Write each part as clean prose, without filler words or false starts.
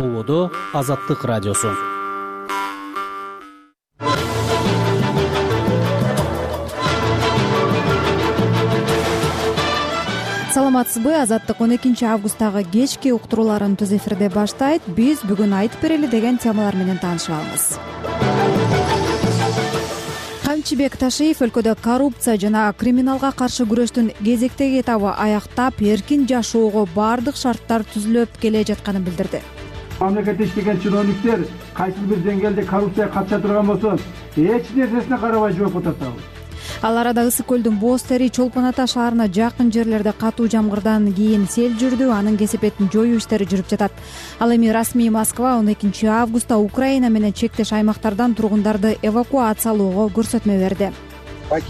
Болодо Азаттык радиосу. Саламатсызбы? Азаттык 12 августтагы кечки уктурууларын түз эфирде баштайт. Биз бүгүн айтып берели деген темалар менен таанышып алабыз. Камчыбек Ташиев өлкөдө коррупция жана криминалга каршы күрөштүн кезектеги этабы аяктап, эркин жашоого баардык шарттар түзүлүп келе жатканын билдирди. Мамлекетте иштеген чиновниктер кайсы бир деңгээлде коррупцияга катыша турган болсо, эч нерсесине карабай жоопко тартабыз. Ал арада Ысык көлдүн Боз Тери Чолпон Ата шаарына жакын жерлерде катуу жамгырдан кийин сел жүрдү, анын кесепетин жоюу иштери жүрүп жатат. Ал эми расмий Москва 12 августта Украина менен чектеш аймактардан тургундарды эвакуациялоого көрсөтмө берди.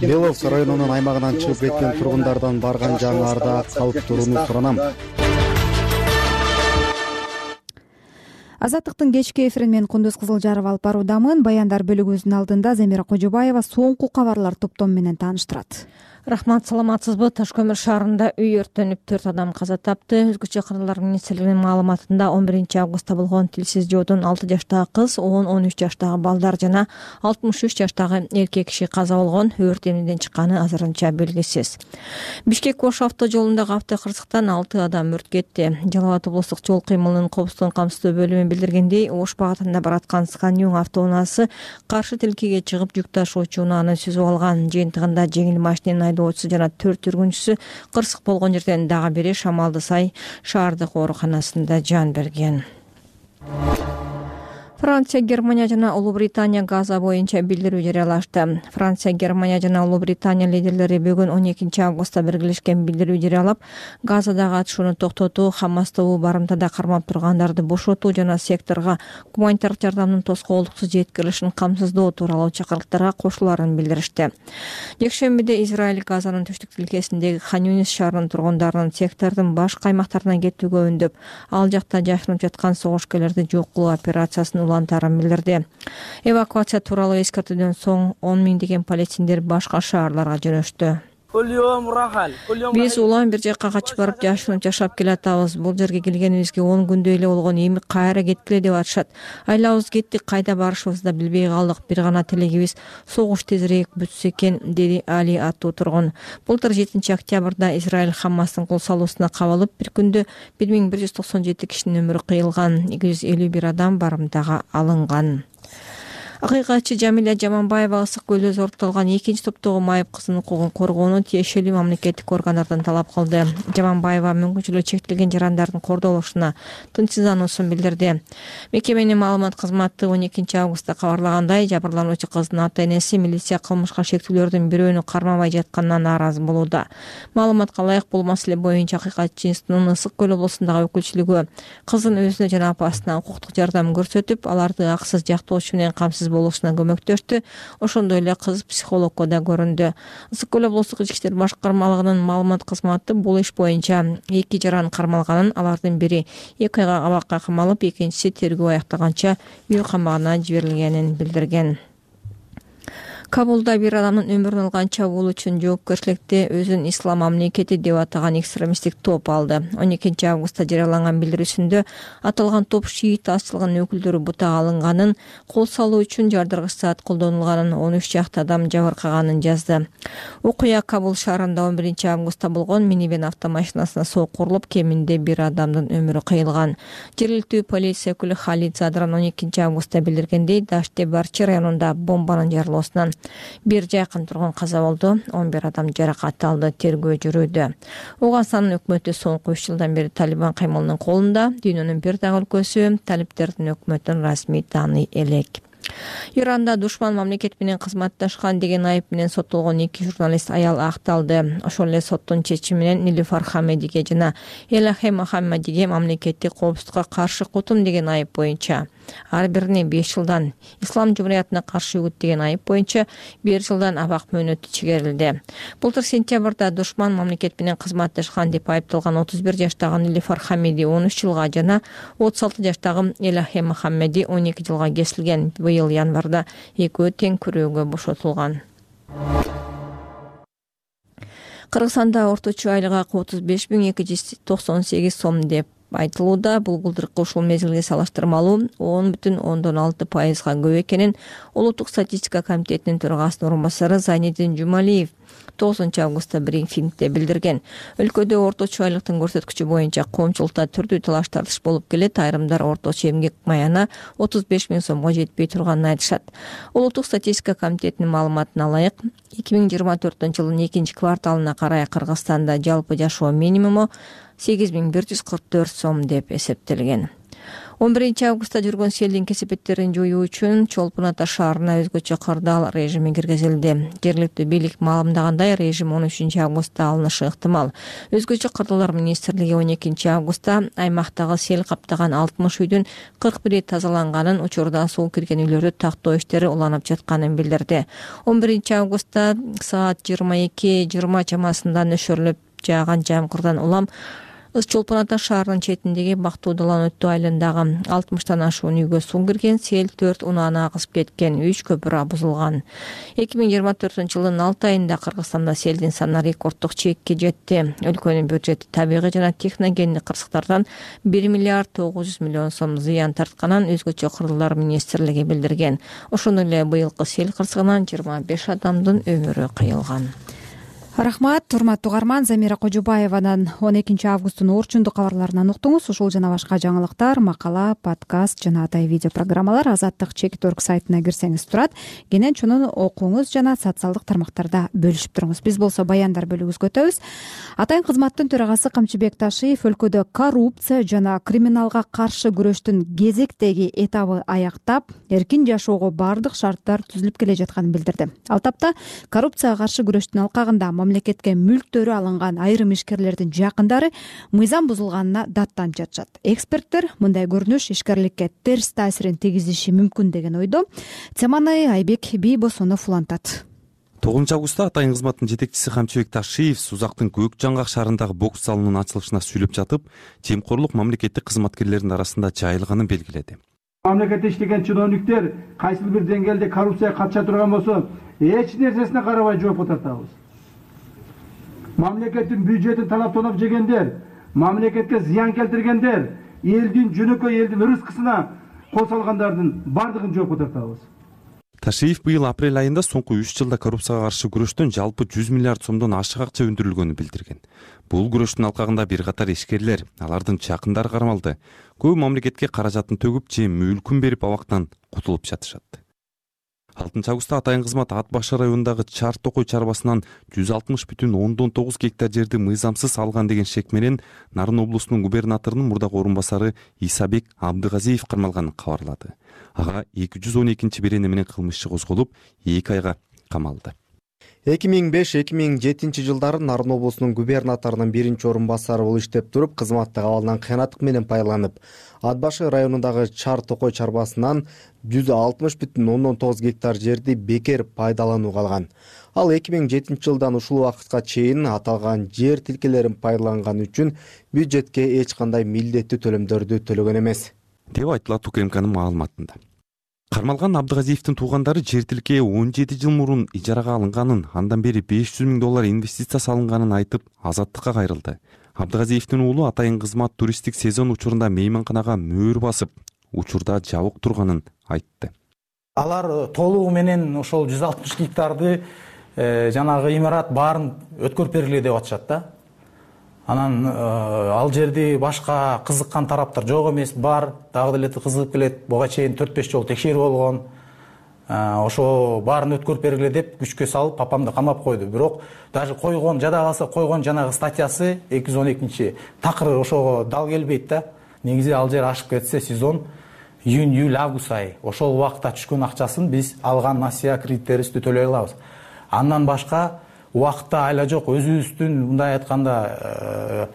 Беловск районунун аймагынан чыгып кеткен тургундардан барган жаңыларда калып турууну суранам. Азаттыктын кечки эфирин мен Кундуз Кызылжаров алып баруудамын. Баяндар бөлүгүбүздүн алдында Замира Кожобаева соңку кабарлар топтому менен тааныштырат. Рахмат, саламатсызбы? Таш көмүр шаарында үй өрттөнүп 4 адам каза тапты. Өзгөчө кыргыздар министрлигинин маалыматында 11 августта болгон тилсиз жоодон 6 жаштагы кыз, 10-13 жаштагы балдар жана 63 жаштагы эркек киши каза болгон. Өрт эмнеден чыкканы азырынча белгисиз. Бишкек-Ош авто жолундагы автокырсыктан 6 адам өрт кетти. Жалал Абад облустук жол кыймылынын коопсуздугун камсыздоо бөлүмү билдиргендей, Ош багытында бараткан Сканьюң автоунаасы каршы тилкеге чыгып жүк ташуучу унааны сүзүп алган. Жыйынтыгында жеңил машинанын айдоочусу жана 4 жүргүнчүсү кырсык болгон жерден дагы бири Шамалды Сай шаардык ооруканасында жан берген. Франция, Германия жана Улуу Британия Газа боюнча билдирүү жарыялашты. Франция, Германия жана Улуу Британия лидерлери бүгүн 12 августта биргелешкен билдирүү жарыялап, Газадагы атышууну токтотуу, Хамасты барымтада кармап тургандарды бошотуу жана секторго гуманитардык жардамдын тоскоолдуксуз жеткирилишин камсыздоо тууралуу чакырыктарга кошулаарын билдиришти. Жекшембиде Израиль Газанын түштүк тилкесиндеги Хан-Юнис шаарынын тургундарынын сектордун башка аймактарына кетүүгө үндөп, ал жакта жашынып жаткан согушкерлерди жок кылуу операциясын улантарын билдирди. Эвакуация тууралуу эскертүүдөн соң 10 миңдеген палестиндер башка шаарларга жөнөштү. Биз улам бир жакка качып барып жашынып жашап келатабыз. Бул жерге келгенибизге 10 күндөй эле болгон, эми кайра кеткиле деп атышат. Айлабыз кеттик, кайда барышыбызды да билбей калдык. Бир гана тилегибиз согуш тезирээк бүтсө экен, деди Али аттуу тургун. Былтыр 7 октябрда Израиль Хамастын кол салуусуна кабылып, бир күндө 1197 кишинин өмүрү кыйылган, 251 адам барымтага алынган. Акыйкатчы Жамиля Жаманбаева Ысык көлдө зорукталган 2-топтогу майып кыздын укугун коргоону тиешелүү мамлекеттик органдардан талап кылды. Жаманбаева мүмкүнчүлүгү чектелген жарандардын кордолушуна тынчсыздануусун билдирди. Мекеменин маалымат кызматы 12 августта кабарлагандай, жабырлануучу кыздын ата-энеси милиция кылмышка шектүүлөрдүн бирөөнү кармабай жатканынан нааразы болууда. Маалыматка ылайык бул маселе боюнча акыйкатчынын Ысык көл облусундагы өкүлчүлүгү кыздын өзүнө жана апасына укуктук жардам көрсөтүп, аларды акысыз жактоочу менен камсыз болушуна көмөктөштү. Ошондой эле кыз психологко да көрүндү. Ысык көл облустук ички иштер башкармалыгынын маалымат кызматы бул иш боюнча 2 жаран кармалганын, алардын бири 2 айга абакка камалып, экинчиси тергөө аяктаганча үй камагына жиберилгенин билдирген. Кабулда бир адамдын өмүрүн алган чабуул үчүн жоопкерчиликти өзүн ислам мамлекети деп атаган экстремисттик топ алды. 12 августта жарыяланган билдирүүсүндө аталган топ шиит азчылыгынын өкүлдөрү бутага алынганын, кол салуу үчүн жардыргыч зат колдонулганын, 13 жакты адам жабыркаганын жазды. Окуя Кабул шаарында 11 августта болгон. Минивэн автомашинасына соок урулуп, кеминде бир адамдын өмүрү кыйылган. Жергиликтүү полиция өкүлү Халид Задран 12 августта билдиргендей, Даште Барчи районунда бомбанын жарылуусунан бир жакын тургун каза болду, 11 адам жаракат алды. Тергөө жүрүүдө. Оганстандын өкмөтү соңку 3 жылдан бери Талибан каймылынын колунда. Дүйнөнүн бир дагы өлкөсү талиптердин өкмөтүн расмий тааный элек. Иранда душман мамлекет менен кызматташкан деген айып менен соттолгон 2 журналист аял акталды. Ошол эле соттун чечими менен Нилуфар Хамедиге жана Элахе Мухаммадиге мамлекеттик коопсуздукка каршы кутум деген айып боюнча, ар бирине 5 жылдан, ислам жумуриятына каршы үгүт деген айып боюнча 1 жылдан абак мөөнөтү чегерилди. Былтыр сентябрда душман мамлекет менен кызматташкан деп айыпталган 31 жаштагы Нилуфар Хамеди 13 жылга жана 36 жаштагы Элахе Мухаммади 12 жылга кесилген. Быйыл январда экөө тең күрөөгө бошотулган. Кыргызстанда орточо айлык акы 35.298 сом деп айтылууда. Бул былтыркы ушул мезгилге салыштырмалуу 10,6%га көп экенин Улуттук статистика комитетинин төрагасынын орун басары Зайниддин Жумалиев 9-августта брифингде билдирген. Өлкөдө орточо айлыктын көрсөткүчү боюнча коомчулукта түрдүү талаш тартыш болуп келет. Айрымдар орточо эмгек маяна 35 000 сомго жетпей турганын айтышат. Улуттук статистика комитетинин маалыматына ылайык, 2024-жылдын 2-кварталына карай Кыргызстанда жалпы жашоо минимуму 8144 сом деп эсептелген. 11-августта жүргөн селдин кесепеттерин жоюу үчүн Чолпон Ата шаарына өзгөчө кырдаал режими киргизилди. Жергиликтүү бийлик маалымдагандай, режим 13-августта алынышы ыктымал. Өзгөчө кырдаалар министрлиги 12-августта аймактагы сел каптаган 60 үйдүн 41 тазаланганын, учурда суу кирген үйлөрдү тактоо иштери уланып жатканын билдирди. 11-августта саат 22:20 чамасында нөшөрлөп жааган жамгырдан улам Чолпон Ата шаарынын четиндеги Бактуудалан өттү айылындагы 60тан ашуун үйгө суу кирген, сел 4 унааны агызып кеткен, 3 көпүрө бузулган. 2024-жылдын 6 айында Кыргызстанда селдин саны рекорддук чекке жетти. Өлкөнүн бюджети табигый жана техногендик кырсыктардан 1 миллиард 900 миллион сом зыян тартканын өзгөчө кырдаалар министрлиги билдирген. Ошондой эле быйылкы сел кырсыгынан 25 адамдын өмүрү кыйылган. Рахмат, урматтуу угарман. Замира Кожубаеванын 12-августтун орчундук кабарларынан уктуңуз. Ушул жана башка жаңылыктар, макала, подкаст жана атай видео программалар Азаттык.org сайтына кирсеңиз турат. Кенен чонун окуңуз жана социалдык тармактарда бөлүшүп туруңуз. Биз болсо баяндар бөлүгүбүзгө өтөбүз. Атайын кызматтын төрагасы Камчыбек Ташиев өлкөдө коррупция жана криминалга каршы күрөштүн кезектеги этабы аяктап, эркин жашоого бардык шарттар түзүлүп келе жатканын билдирди. Ал тапта коррупцияга каршы күрөштүн алкагында мамлекетке мүлктөрү алынган айрым ишкерлердин жакындары мыйзам бузулганына даттанып жатышат. Эксперттер мындай көрүнүш ишкерликке терс таасирин тийгизиши мүмкүн деген ойдо. Теманы Айбек Бийбосонов улантат. 9-августта атайын кызматтын жетекчиси Камчыбек Ташиев Сузактын Көк Жаңгак шаарындагы бокс залынын ачылышына сүйлөп жатып, жемкорлук мамлекеттик кызматкерлердин арасында жайылганын белгиледи. Мамлекетте иштеген чиновниктер кайсы бир деңгээлде коррупцияга катыша турган болсо, эч нерсесине карабай жоопко тартабыз. Мамлекеттин бюджетин талаптанып жегендер, мамлекетке зыян келтиргендер, элдин жөнөкөй элдин рызкысына кол салгандардын бардыгын жоопко тартабыз. Ташиев быйыл апрель айында соңку 3 жылда коррупцияга каршы күрөштөн жалпы 100 миллиард сомдон ашык акча өндүрүлгөнүн билдирген. Бул күрөштүн алкагында бир катар ишкерлер, алардын жакындары кармалды. Көбү мамлекетке каражатын төгүп же мүлкүн берип абактан кутулуп жатышат. 6-августта атайын кызмат Ат Башы районундагы Чар Токой чарбасынан 160,9 гектар жерди мыйзамсыз алган деген шек менен Нарын облусунун губернаторунун мурдагы орун басары Исабек Абдыгазиев кармалганын кабарлады. Ага 212 берене менен кылмыш иши козголуп, 2 айга камалды. 2005-2007 жылдары Нарын облусунун губернаторунун биринчи орун басары болуп иштеп туруп, кызматтык абалынан кыянаттык менен пайдаланып, Ат Башы районундагы Чар Токой чарбасынан 160,9 гектар жерди бекер пайдаланууга алган. Ал 2007 жылдан ушул убакытка чейин аталган жер тилкелерин пайдаланган үчүн бюджетке эч кандай милдеттүү төлөмдөрдү төлөгөн эмес, деп айтылат УКМКнын маалыматында. Кармалган Абдыгазиевдин туугандары жер тилкеге 17 жыл мурун ижарага алынганын, андан бери $500,000 инвестиция салынганын айтып, Азаттыкка кайрылды. Абдыгазиевдин уулу атайын кызмат туристтик сезон учурунда мейманканага мөөр басып, учурда жабык турганын айтты. Алар толугу менен ошол 160 гектарды жанагы имарат баарын өткөрүп бергиле деп атышат да. Анан ал жерди башка кызыккан тараптар жок эмес, бар, дагы деле кызыгып келет. Буга чейин 4-5 жолу текшерүү болгон. Ошо баарын өткөрүп бергиле деп күчкө салып, папамды камап койду. Бирок даже койгон, жада калса койгон жанагы статьясы 212 такыр ошого дал келбейт да. Негизи ал жер ашып кетсе сезон июнь, июль, август ай. Ошол убакытта түшкөн акчасын биз алган насыя кредиттерибизди төлөй алабыз. Андан башка убакытта айла жок, өзүбүздүн мындай айтканда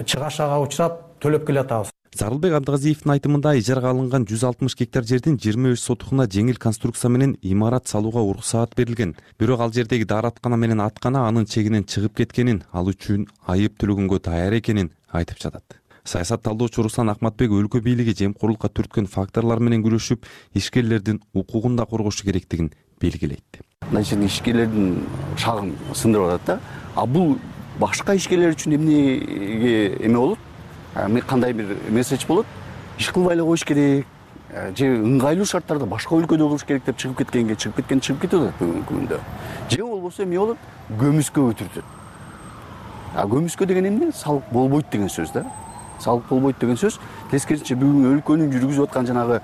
чыгашага учурап төлөп келатабыз. Зарылбек Абдыгазиевдин айтымында ижарага алынган 160 гектар жердин 25 сотукуна жеңил конструкция менен имарат салууга уруксаат берилген. Бирок ал жердеги даараткана менен аткана анын чегинен чыгып кеткенин, ал үчүн айып төлөгөнгө даяр экенин айтып жатат. Саясат талдоочу Руслан Акматбек өлкө бийлиги жемкорлукка түрткөн факторлор менен күрөшүп, ишкерлердин укугун да коргошу керектигин белгилейт. Значит, ишкерлердин шагын сындырып атат да. А бул башка ишкерлер үчүн эмнеге эме болот? кандай бир месседж болот, иш кылбай эле коюш керек же ыңгайлуу шарттарда башка өлкөдө болуш керек деп чыгып кеткенге чыгып кетип атат бүгүнкү күндө. Же болбосо эмне болот? Көмүскө өтүртөт. Көмүскө деген эмне? Салык болбойт деген сөз да. Салык болбойт деген сөз. Тескерисинче бүгүн өлкөнүн жүргүзүп аткан жанагы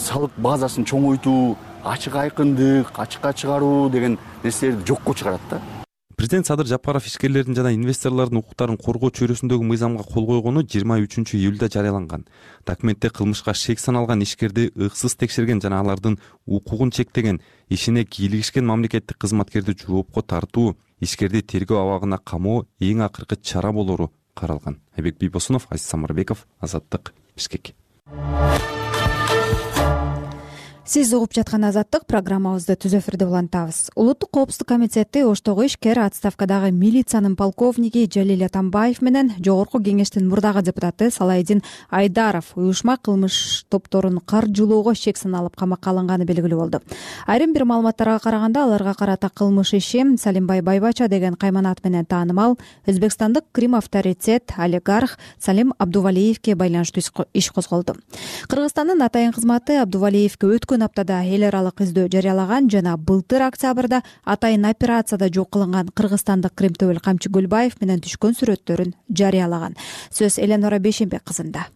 салык базасын чоңойтуу, ачык айкындык, ачыкка чыгаруу деген нерселерди жокко чыгарат да. Президент Садыр Жапаров ишкерлердин жана инвесторлордун укуктарын коргоо чөйрөсүндөгү мыйзамга кол койгону 23-июлда жарыяланган. Документте кылмышка шек саналган ишкерди ыксыз текшерген жана алардын укугун чектеген, ишине кийлигишкен мамлекеттик кызматкерди жоопко тартуу, ишкерди тергөө абагына камоо эң акыркы чара болору каралган. Айбек Бийбосунов, Азиз Самарбеков, Азаттык, Бишкек. Сиз угуп жаткан Азаттык программабызды түз эфирде улантабыз. Улуттук коопсуздук комитети Оштогу ишкер отставкадагы милициянын полковниги Жалил Атамбаев менен Жогорку кеңештин мурдагы депутаты Салайдин Айдаров уюшма кылмыш топторун каржылоого шек саналып камакка алынганы белгилүү болду. Айрым бир маалыматтарга караганда аларга карата кылмыш иши Салимбай Байбача деген кайманат менен таанымал өзбекстандык Крим авторитет олигарх Салим Абдувалиевке байланыштуу иш козголду. Кыргызстандын атайын кызматы Абдувалиевке өткөн аптада эл аралык издөө жарыялаган жана былтыр октябрда атайын операцияда жок кылынган кыргызстандык Кримтөбөл Камчы Гүлбаев менен түшкөн сүрөттөрүн жарыялаган. Сөз Эленора Бешенбек кызында.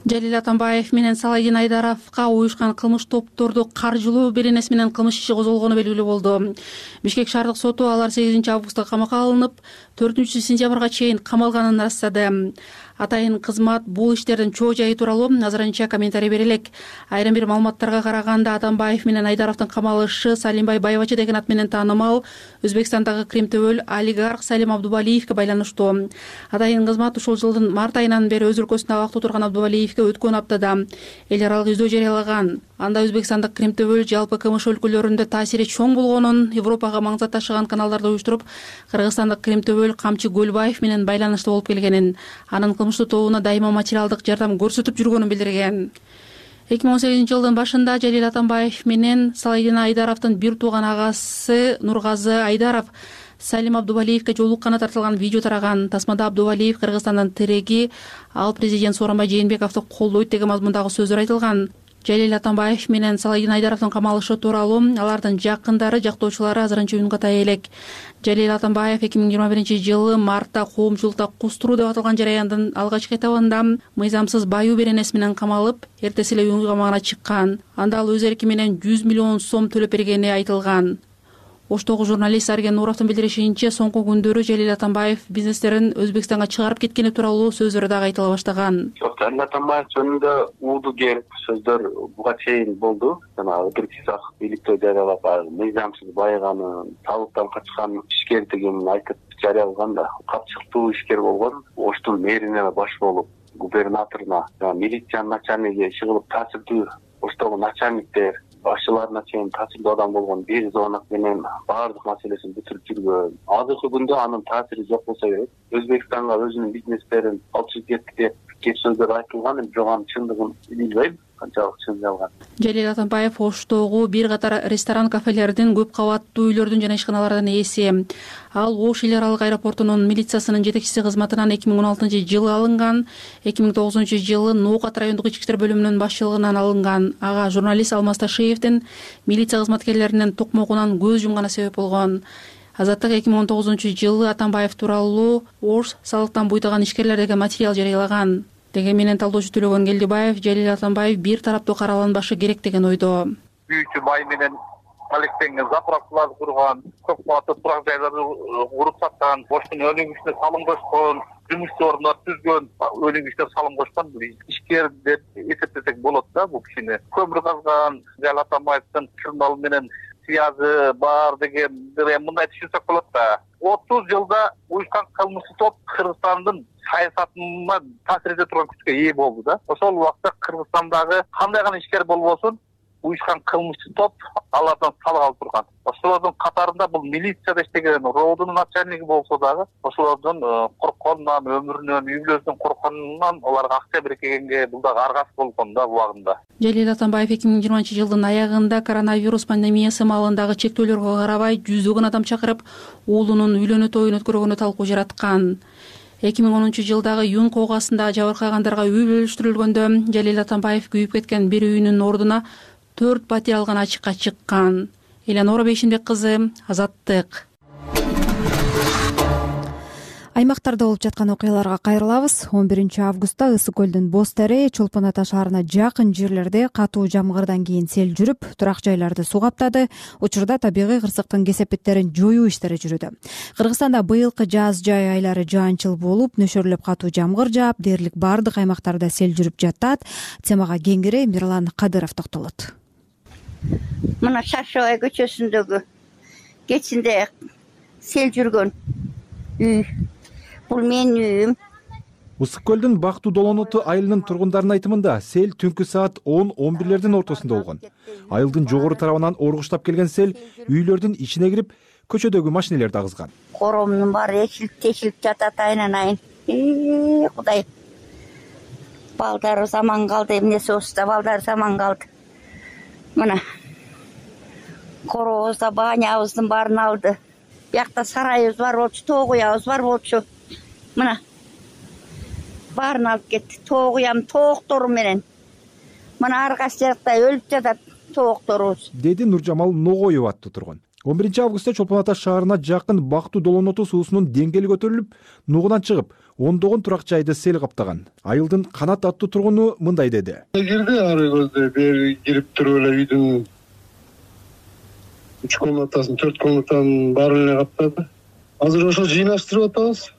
Жалил Атамбаев менен Салайдин Айдаровго уюшкан кылмыш топторду каржылоо беренеси менен кылмыш иши козголгону белгилүү болду. Бишкек шаардык соту алар 8-августта камакка алынып, 4-сентябрга чейин камалганын ырастады. Атайын кызмат бул иштердин чоо жайы тууралуу азырынча комментарий бере элек. Айрым бир маалыматтарга караганда Атамбаев менен Айдаровдун камалышы Салимбай Байбача деген ат менен таанымал Өзбекстандагы Кримтөбөл олигарх Салим Абдувалиевке байланыштуу. Атайын кызмат ушул жылдын март айынан бери өз өлкөсүндө абакта турган Абдувалиевке өткөн аптада эл аралык издөө жарыялаган. Анда Өзбекстандык Кримтөбөл жалпы КМШ өлкөлөрүндө таасири чоң болгонун, Европага маңзат ташыган каналдарды уюштуруп, Кыргызстандык Кримтөбөл Камчы Гүлбаев менен байланыштуу болуп келгенин, анын кылмыштуу тобуна дайыма материалдык жардам көрсөтүп жүргөнүн билдирген. 2018-жылдын башында Жалил Атамбаев менен Салайдин Айдаровдун бир тууган агасы Нургазы Айдаров Салим Абдувалиевке жолукканы тартылган видео тараган. Тасмада Абдувалиев Кыргызстандын тиреги, ал президент Сооронбай Жээнбековду колдойт деген мазмундагы сөздөр айтылган. Жалил Атамбаев менен Салайдин Айдаровдун камалышы тууралуу алардын жакындары, жактоочулары азырынча үн ката элек. Жалил Атамбаев 2021-жылы мартта коомчулукта кустуруу деп аталган жараяндын алгачкы этабында мыйзамсыз баюу беренеси менен камалып, эртеси эле үй камагына чыккан. Анда ал өз эрки менен 100 миллион сом төлөп бергени айтылган. Оштогу журналист Арген Нуровдун билдиришинче, соңку күндөрү Жалил Атамбаев бизнестерин Өзбекстанга чыгарып кеткени тууралуу сөздөр дагы айтыла баштаган. Жалил Атамбаев жөнүндө ууду кер сөздөр буга чейин болду. Жана өтүрүксүз бийликтөө жарыялап, мыйзамсыз байыганын, салыктан качкан ишкердигин айтып жарыялаган да. Капчыктуу ишкер болгон, Оштун мэрине баш болуп, губернаторуна, милициянын начальниги иши кылып таасирдүү, Оштогу начальниктер башчыларына чейин таасирдүү адам болгон бир звонок менен баардык маселесин бүтүрүп жүргөн. Азыркы күндө анын таасири жок болсо керек. Өзбекстанга өзүнүн бизнестерин алып чыгып кетти деп кеп сөздөр айтылган, бирок анын чындыгын билбейм. Канчалык чын жалган. Жалил Атамбаев Оштогу бир катар ресторан, кафелердин, көп кабаттуу үйлөрдүн жана ишканалардын ээси. Ал Ош эл аралык аэропортунун милициясынын жетекчиси кызматынан 2016-жылы алынган, 2009-жылы Ноокат райондук ички иштер бөлүмүнүн башчылыгынан алынган. Ага журналист Алмаз Ташиевдин милиция кызматкерлеринин токмогунан көз жумганы себеп болгон. Азаттык 2019-жылы Атамбаев тууралуу Ош салыктан буйтаган ишкерлер деген материал жарыялаган. Деген менен талдоочу Төлөгөн Келдибаев Жалил Атамбаев бир тараптуу караланбашы керек деген ойдо. Бүйчү май менен алектенген заправкаларды курган, көп кабаттуу турак жайларды куруп саткан, Оштун өнүгүшүнө салым кошкон, жумуш орундар түзгөн, өнүгүшүнө салым кошкон ишкер деп эсептесек болот да бул кишини. Көмүр казган, Жалил Атамбаевдин журнал менен связы бар деген мындай түшүнсөк болот да. 30 жылда уюшкан кылмыштуу топ Кыргызстандын саясатына таасир эте турган күчкө ээ болду да. Ошол убакта Кыргызстандагы кандай гана ишкер болбосун, уюшкан кылмыштуу топ алардан салык алып турган. Ошолордун катарында бул милицияда иштеген роодунун начальниги болсо дагы, ошолордун коркконунан, өмүрүнөн, үй бүлөсүнөн коркконунан аларга акча беркегенге бул дагы аргасы болгон да убагында. Жалил Атамбаев 2020-жылдын аягында коронавирус пандемиясы маалындагы чектөөлөргө карабай жүздөгөн адам чакырып, уулунун үйлөнүү тоюн өткөргөнү талкуу жараткан. 2010-жылдагы июнь коогаасында жабыркагандарга үй бөлүштүрүлгөндө Жалил Атамбаев күйүп кеткен бир үйүнүн ордуна 4 пәтер алган ачыкка чыккан. Элеонора Бейшимбек кызы, Азаттык. Аймактарда болуп жаткан окуяларга кайрылабыз. 11-августта Ысык көлдүн Боз Тере, Чолпон Ата шаарына жакын жерлерде катуу жамгырдан кийин сел жүрүп, турак жайларды суу каптады. Учурда табигый кырсыктын кесепеттерин жоюу иштери жүрүүдө. Кыргызстанда быйылкы жаз жай айлары жаанчыл болуп, нөшөрлөп катуу жамгыр жаап, дээрлик бардык аймактарда сел жүрүп жатат. Темага кеңири Мирлан Кадыров токтолот. Мына Шаршабай көчөсүндөгү кечинде сел жүргөн үй. Бул менин үйүм. Ысык көлдүн Бактуу Долоноту айылынын тургундарынын айтымында сел түнкү саат 10-11 ортосунда болгон. Айылдын жогору тарабынан оргуштап келген сел үйлөрдүн ичине кирип, көчөдөгү машинелерди агызган. Коромдун баары тешилип жатат айнан. Кудай. Балдары заман калды, эмнеси болсо балдары заман калды. Мына коробузда баанябыздын баарын алды. Биякта сарайыбыз бар болчу, тоо куябыз бар болчу. Мына баарын алып кетти. Тоо куям тооктору менен. Мына аркасы жакта өлүп жатат тоокторубуз. Деди Нуржамал Ногоева аттуу тургун. 11-августта Чолпон Ата шаарына жакын Бактуу Долоноту суусунун деңгээли көтөрүлүп, нугунан чыгып, ондогон турак жайды сел каптаган. Айылдын Канат аттуу тургуну мындай деди. Кирди ары көздө бери кирип туруп эле үйдүн 3 комнатасын, 4 комнатанын баарын эле каптады. Азыр ошо жыйнаштырып атабыз.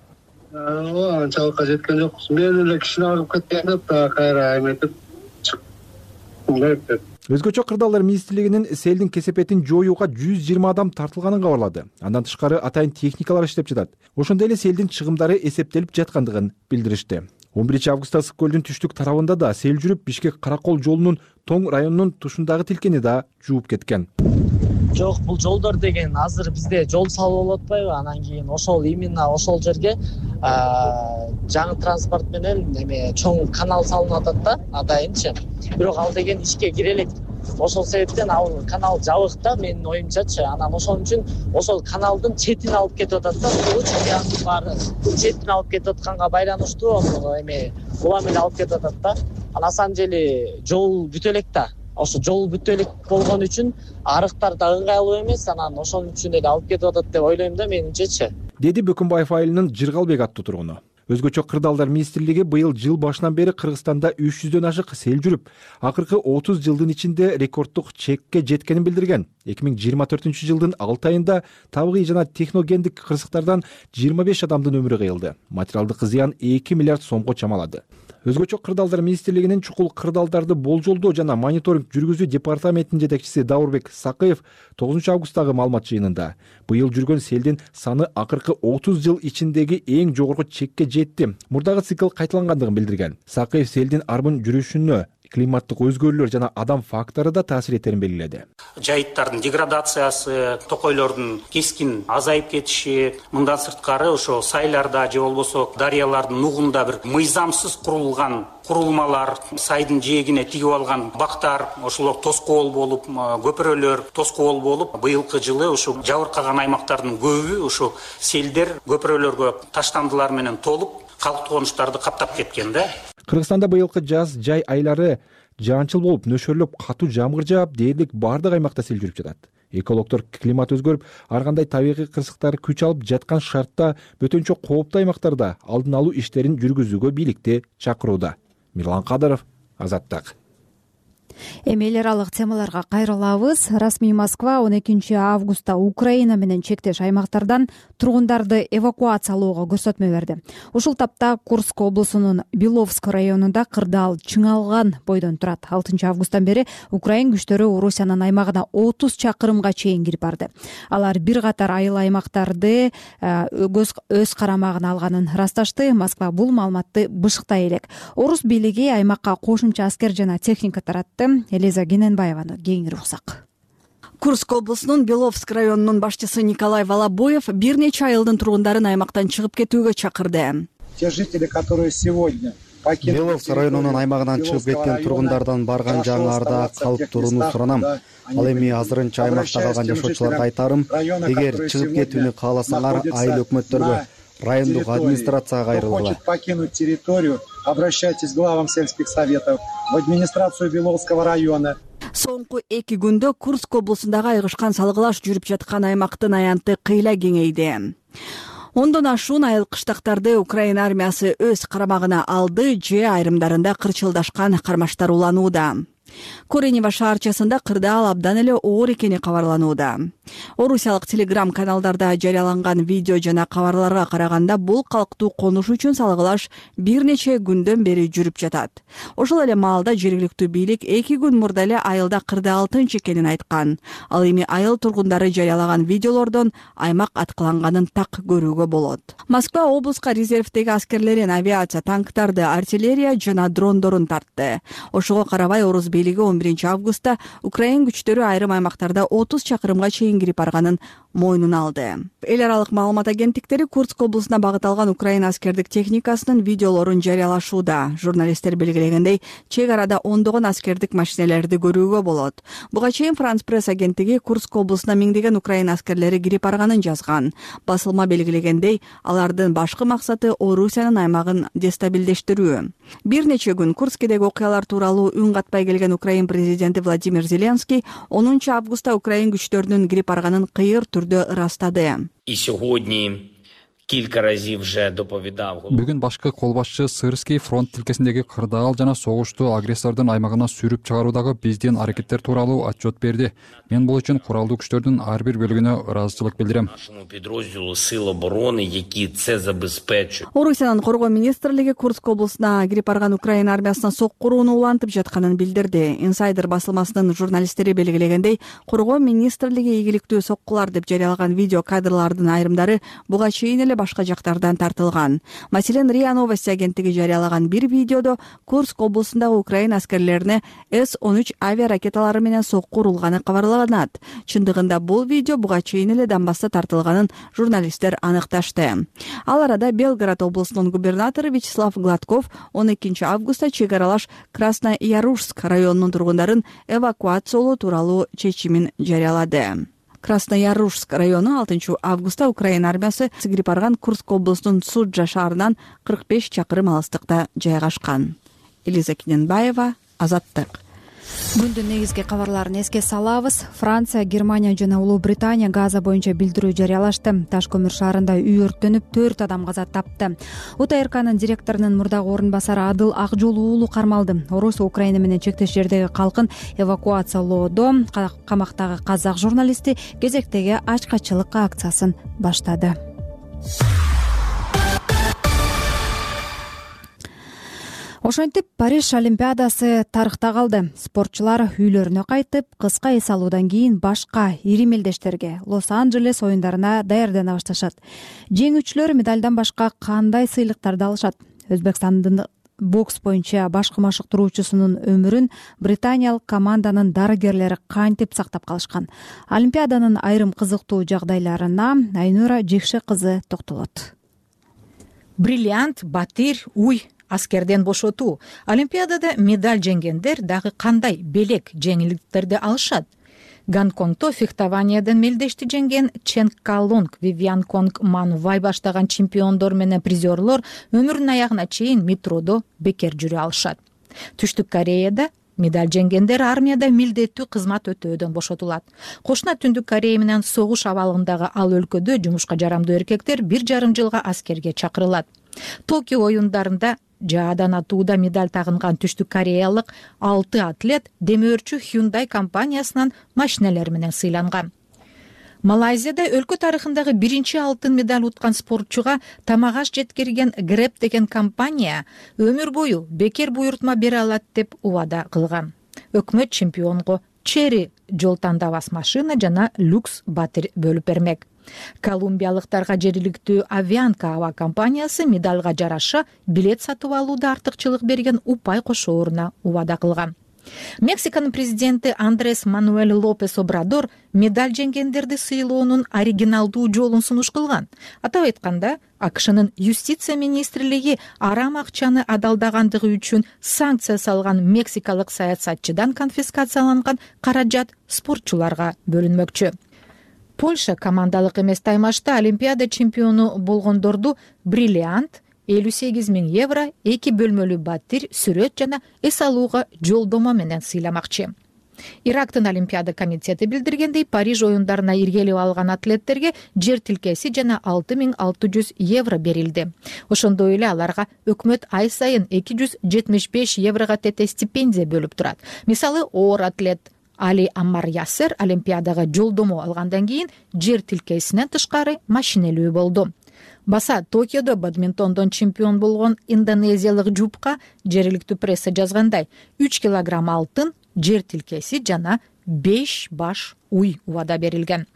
Анчалыкка жеткен жокпуз. Мен эле кишини агып кеткенде кайра эметип чыктым. Өзгөчө Кырдаалдар министрлигинин селдин кесепетин жоюуга 120 адам тартылганын кабарлады. Андан тышкары атайын техникалар иштеп жатат. Ошондой эле селдин чыгымдары эсептелип жаткандыгын билдиришти. 11-августта Ысык көлдүн түштүк тарабында да сел жүрүп, Бишкек-Каракол жолунун Тоң районунун тушундагы тилкени да жууп кеткен. Жок, бул жолдор деген азыр бизде жол салып болуп атпайбы? Анан кийин ошол именно ошол жерге жаңы транспорт менен чоң канал салынып атат да, атайынчы. Бирок ал деген ишке кире элек. Ошол себептен ал канал жабык да, менин оюмчачы. Анан ошон үчүн ошол каналдын четин алып кетип атат да, чөйянын баары четин алып кетип атканга байланыштуу улам эле алып кетип атат да. На самом деле жол бүтө элек да. Ошо жол бүтө элек болгон үчүн арыктар да ыңгайлуу эмес, анан ошон үчүн эле алып кетип атат деп ойлойм да менимчечи. Деди Бөкүнбаев айылынын Жыргалбек аттуу тургуну. Өзгөчө Кырдаалдар министрлиги быйыл жыл башынан бери Кыргызстанда 300дөн ашык сел жүрүп, акыркы 30 жылдын ичинде рекорддук чекке жеткенин билдирген. 2024-жылдын 6 айында табигый жана техногендик кырсыктардан 25 адамдын өмүрү кыйылды. Материалдык зыян 2 миллиард сомго чамалады. Өзгөчө Кырдаалдар министрлигинин чукул кырдаалдарды болжолдоо жана мониторинг жүргүзүү департаментинин жетекчиси Даурбек Сакыев 9-августтагы маалымат жыйынында быйыл жүргөн селдин саны акыркы 30 жыл ичиндеги эң жогорку чекке жетти. Мурдагы цикл кайталангандыгын билдирген. Сакыев селдин арбын жүрүшүнө климаттык өзгөрүүлөр жана адам фактору да таасир этерин белгиледи. Жайыттардын деградациясы, токойлордун кескин азайып кетиши, мындан сырткары ошо сайларда же болбосо дарыялардын нугунда бир мыйзамсыз курулган курулмалар, сайдын жээгине тигип алган бактар, ошолор тоскоол болуп, көпүрөлөр тоскоол болуп, быйылкы жылы ошо жабыркаган аймактардын көбү ошо селдер көпүрөлөргө таштандылар менен толуп, калктуу конуштарды каптап кеткен да. Кыргызстанда быйылкы жаз жай айлары жаанчыл болуп, нөшөрлөп катуу жамгыр жаап, дээрлик бардык аймакта сел жүрүп жатат. Экологдор климат өзгөрүп, ар кандай табигый кырсыктар күч алып жаткан шартта бөтөнчө кооптуу аймактарда алдын алуу иштерин жүргүзүүгө бийликти чакырууда. Мирлан Кадыров, Азаттык. Эми эл аралык темаларга кайрылабыз. Расмий Москва 12-августта Украина менен чектеш аймактардан тургундарды эвакуациялоого көрсөтмө берди. Ушул тапта Курск облусунун Беловск районунда кырдаал чыңалган бойдон турат. 6-августтан бери Украин күчтөрү Орусиянын аймагына 30 чакырымга чейин кирип барды. Алар бир катар айыл аймактарды өз карамагына алганын ырасташты. Москва бул маалыматты бышыктай элек. Орус бийлиги аймакка кошумча аскер жана техника таратты. Элиза Гененбаеваны кеңири уксак. Курск облусунун Беловск районунун башчысы Николай Волобоев бир нече айылдын тургундарын аймактан чыгып кетүүгө чакырды. Те жители, которые сегодня Беловск районунун аймагынан чыгып кеткен тургундардан барган жаңаарда калып турууну суранам. Ал эми азырынча аймакта калган жашоочуларга айтарым, эгер чыгып кетүүнү кааласаңар, айыл өкмөттөргө райондук администрацияга кайрылгыла. Кто хочет покинуть территорию, обращайтесь к главам сельских советов, в администрацию Беловского района. Соңку 2 күндө Курск облусундагы айгышкан салгылаш жүрүп жаткан аймактын аянты кыйла кеңейди. Ондон ашуун айыл кыштактарды Украина армиясы өз карамагына алды же айрымдарында кырчылдашкан кармаштар уланууда. Коренева шаарчасында кырдаал абдан эле оор экени кабарланууда. Орусиялык телеграм каналдарда жарыяланган видео жана кабарларга караганда бул калктуу конуш үчүн салгылаш бир нече күндөн бери жүрүп жатат. Ошол эле маалда жергиликтүү бийлик 2 күн мурда эле айылда кырдаал тынч экенин айткан. Ал эми айыл тургундары жарыялаган видеолордон аймак аткыланганын так көрүүгө болот. Москва облуска резервдеги аскерлерин авиация, танктарды, артиллерия жана дрондорун тартты. Ошого карабай орус бийлиги 11 августта Украин күчтөрү айрым аймактарда 30 чакырымга чейин кирип барганын мойнуна алды. Эл аралык маалымат агенттиктери Курск облусуна багыт алган Украина аскердик техникасынын видеолорун жарыялашууда. Журналисттер белгилегендей, чек арада ондогон аскердик машинелерди көрүүгө болот. Буга чейин Франс пресс агенттиги Курск облусуна миңдеген Украина аскерлери кирип барганын жазган. Басылма белгилегендей, алардын башкы максаты Орусиянын аймагын дестабилдештирүү. Бир нече күн Курскедеги окуялар тууралуу үн катпай келген Украин президенти Владимир Зеленский 10 августта Украин күчтөрүнүн кирип барганын кыйыр түрдө ырастады. И сьогодні кілька разів вже доповідав. Бүгүн башкы кол башчы Сырский фронт тилкесиндеги кырдаал жана согушту агрессордун аймагына сүрүп чыгаруудагы биздин аракеттер тууралуу отчет берди. Мен бул үчүн куралдуу күчтөрдүн ар бир бөлүгүнө ыраазычылык билдирем. Нашому підрозділу сил оборони, які це забезпечують. Орусиянын коргоо министрлиги Курск облусуна кирип барган Украина армиясына соккурууну улантып жатканын билдирди. Инсайдер басылмасынын журналисттери белгилегендей, коргоо министрлиги ийгиликтүү соккулар деп жарыялаган видео кадрлардын айрымдары буга чейин эле башка жактардан тартылган. Маселен, РИА Новости агенттиги жарыялаган бир видеодо Курск облусундагы Украина аскерлерине С-13 авиаракеталары менен сокку урулганы кабарланат. Чындыгында бул видео буга чейин эле Донбасста тартылганын журналисттер аныкташты. Ал арада Белгород облусунун губернатору Вячеслав Гладков 12 августта чек аралаш Красноярушск районунун тургундарын эвакуациялоо тууралуу чечимин жарыялады. Красноярушск району 6 августта Украина армиясы кирип барган Курск облусунун Суджа шаарынан 45 чакырым алыстыкта жайгашкан. Элиза Кененбаева, Азаттык. Күндүн негизги кабарларын эске салабыз. Франция, Германия жана Улуу Британия Газа боюнча билдирүү жарыялашты. Таш көмүр шаарында үй өрттөнүп 4 адам каза тапты. УТРКнын директорунун мурдагы орун басары Адыл Акжол уулу кармалды. Орусия Украина менен чектеш жердеги калкын эвакуациялоодо камактагы казак журналисти кезектеги ачкачылык акциясын баштады. Ошентип Париж Олимпиадасы тарыхта калды. Спортчулар үйлөрүнө кайтып, кыска эс алуудан кийин башка ири мелдештерге Лос-Анджелес оюндарына даярдана башташат. Жеңүүчүлөр медалдан башка кандай сыйлыктарды алышат? Өзбекстандын бокс боюнча баш машыктыруучусунун өмүрүн британиялык команданын дарыгерлери кантип сактап калышкан? Олимпиаданын айрым кызыктуу жагдайларына Айнура Жекше кызы токтолот. Бриллиант, батир, уй, аскерден бошотуу. Олимпиадада медаль жеңгендер дагы кандай белек жеңилдиктерди алышат? Гонконгто фехтованиядан мелдешти жеңген Чен Калунг, Вивиан Конг Манувай баштаган чемпиондор менен призерлор өмүрүнүн аягына чейин метродо бекер жүрө алышат. Түштүк Кореяда медаль жеңгендер армияда милдеттүү кызмат өтөөдөн бошотулат. Кошуна Түндүк Корея менен согуш абалындагы ал өлкөдө жумушка жарамдуу эркектер 1,5 жылга аскерге чакырылат. Токио оюндарында жаадан атууда медаль тагынган Түштүк Кореялык 6 атлет демөөрчү Hyundai компаниясынан машиналар менен сыйланган. Малайзияда өлкө тарыхындагы биринчи алтын медаль уткан спортчуга тамак аш жеткирген Grab деген компания өмүр бою бекер буйртма бере алат деп убада кылган. Өкмөт чемпионго Черри жол тандабас машина жана люкс батир бөлүп бермек. Колумбиялыктарга жергиликтүү Авианка аба компаниясы медалга жараша билет сатып алууда артыкчылык берген упай кошооруна убада кылган. Мексиканын президенти Андрес Мануэль Лопес Обрадор медаль жеңгендерди сыйлоонун оригиналдуу жолун сунуш кылган. Атап айтканда, АКШнын юстиция министрлиги арам акчаны адалдагандыгы үчүн санкция салган мексикалык саясатчыдан конфискацияланган каражат спортчуларга бөлүнмөкчү. Польша командалык эмес таймашта Олимпиада чемпиону болгондорду бриллиант, 58 000 евро, 2 бөлмөлүү батир, сүрөт жана эс алууга жолдомо менен сыйламакчы. Ирактын Олимпиада комитети билдиргендей, Париж оюндарына иргелип алган атлеттерге жер тилкеси жана 6600 евро берилди. Ошондой эле аларга өкмөт ай сайын 275 еврого тете стипендия бөлүп турат. Мисалы, оор атлет Али Аммар Ясер Олимпиадага жолдомо алгандан кийин жер тилкесинен тышкары машинелүү болду. Баса Токиодо бадминтондон чемпион болгон индонезиялык жупка жергиликтүү пресса жазгандай 3 килограмм алтын, жер тилкеси жана 5 баш уй убада берилген.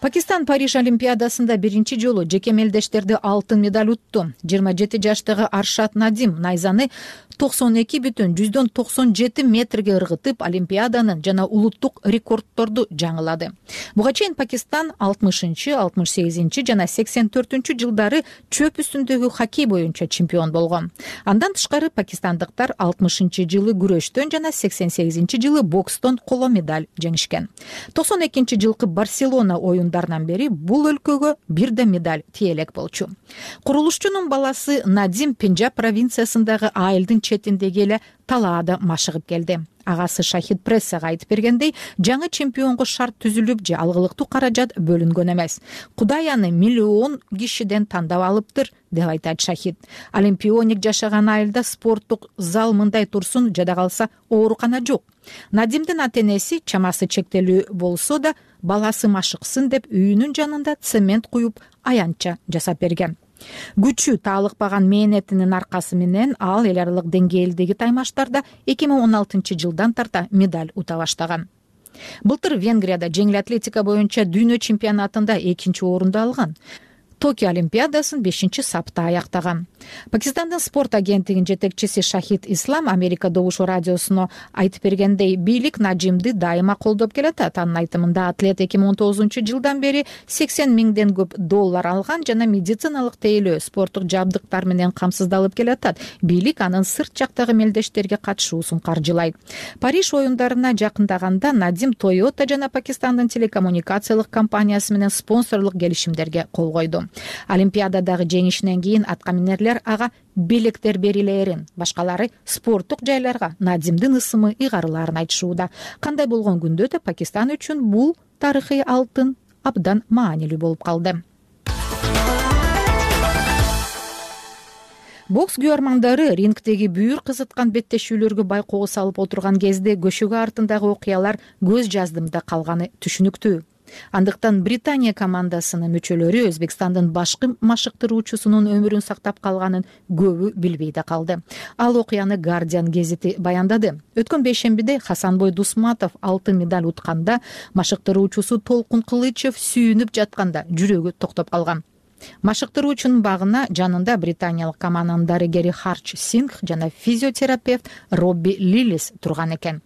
Пакистан Париж Олимпиадасында биринчи жолу жеке мелдештерди алтын медаль утту. 27 жаштагы Аршат Надим найзаны 92,97 метрге ыргытып, Олимпиаданын жана улуттук рекордторду жаңылады. Буга чейин Пакистан 60-шы, 68-чи жана 84-чү жылдары чөп үстүндөгү хоккей боюнча чемпион болгон. Андан тышкары пакистандыктар 60-чы жылы күрөштөн жана 88-чи жылы бокстон коло медаль жеңишкен. 92-чи жылкы Барселона оюндарынан бери бул өлкөгө бир да медаль тиелек болчу. Курулушчунун баласы Надим Пенджаб провинциясындагы айылдын четиндеги эле талаада машыгып келди. Агасы Шахид прессага айтып бергендей, жаңы чемпионго шарт түзүлүп же алгылыктуу каражат бөлүнгөн эмес. Кудай аны миллион кишиден тандап алыптыр, деп айтат Шахид. Олимпионик жашаган айылда спорттук зал мындай турсун, жада калса оорукана жок. Надимдин ата-энеси чамасы чектелүү болсо да, баласы машыксын деп үйүнүн жанында цемент куюп аянтча жасап берген. Күчү таалыкпаган мээнетинин аркасы менен ал эл аралык деңгээлдеги таймаштарда 2016 жылдан тарта медаль ута баштаган. Былтыр Венгрияда жеңил атлетика боюнча дүйнө чемпионатында 2-чи орунду алган. Токио Олимпиадасын 5-чи сапта аяктаган. Пакистандын спорт агенттигинин жетекчиси Шахид Ислам Америка Добушу радиосуна айтып бергендей, бийлик Надимди дайыма колдоп келатат. Анын айтымында атлет 2019 жылдан бери 80 миңден көп доллар алган жана медициналык тейлөө, спорттук жабдыктар менен камсыздалып келатат. Бийлик анын сырт жактагы мелдештерге катышуусун каржылайт. Париж оюндарына жакындаганда Надим Toyota жана Пакистандын телекоммуникациялык компаниясы менен спонсорлук келишимдерге кол койду. Олимпиададагы жеңишинен кийин аткаминерлер ага белектер берилээрин, башкалары спорттук жайларга Надимдин ысымы ыйгарылаарын айтышууда. Кандай болгон күндө да Пакистан үчүн бул тарыхый алтын абдан маанилүү болуп калды. Бокс күйөрмандары рингдеги бүйүр кызыткан беттешүүлөргө байкоого салып отурган кезде көшөгө артындагы окуялар көз жаздымда калганы түшүнүктүү. Андыктан Британия командасынын мүчөлөрү Өзбекстандын башкы машыктыруучусунун өмүрүн сактап калганын көбү билбей да калды. Ал окуяны Guardian гезити баяндады. Өткөн бейшембиде Хасанбой Дусматов алтын медаль утканда, машыктыруучусу Толкун Кылычев сүйүнүп жатканда жүрөгү токтоп калган. Машыктыруучунун багына жанында британиялык команданын дарыгери Харч Сингх жана физиотерапевт Робби Лилис турган экен.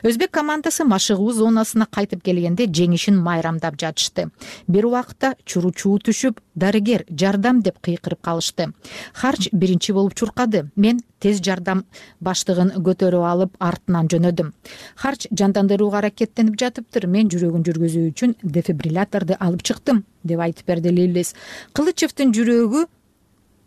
Өзбек командасы машыгуу зонасына кайтып келгенде жеңишин майрамдап жатышты. Бир убакта чуручуу түшүп, дарыгер жардам деп кыйкырып калышты. Харч биринчи болуп чуркады. Мен тез жардам баштыгын көтөрүп алып артынан жөнөдүм. Харч жандандырууга аракеттенип жатыптыр. Мен жүрөгүн жүргүзүү үчүн дефибрилляторду алып чыктым, деп айтып берди Лиллис. Кылычевдин жүрөгү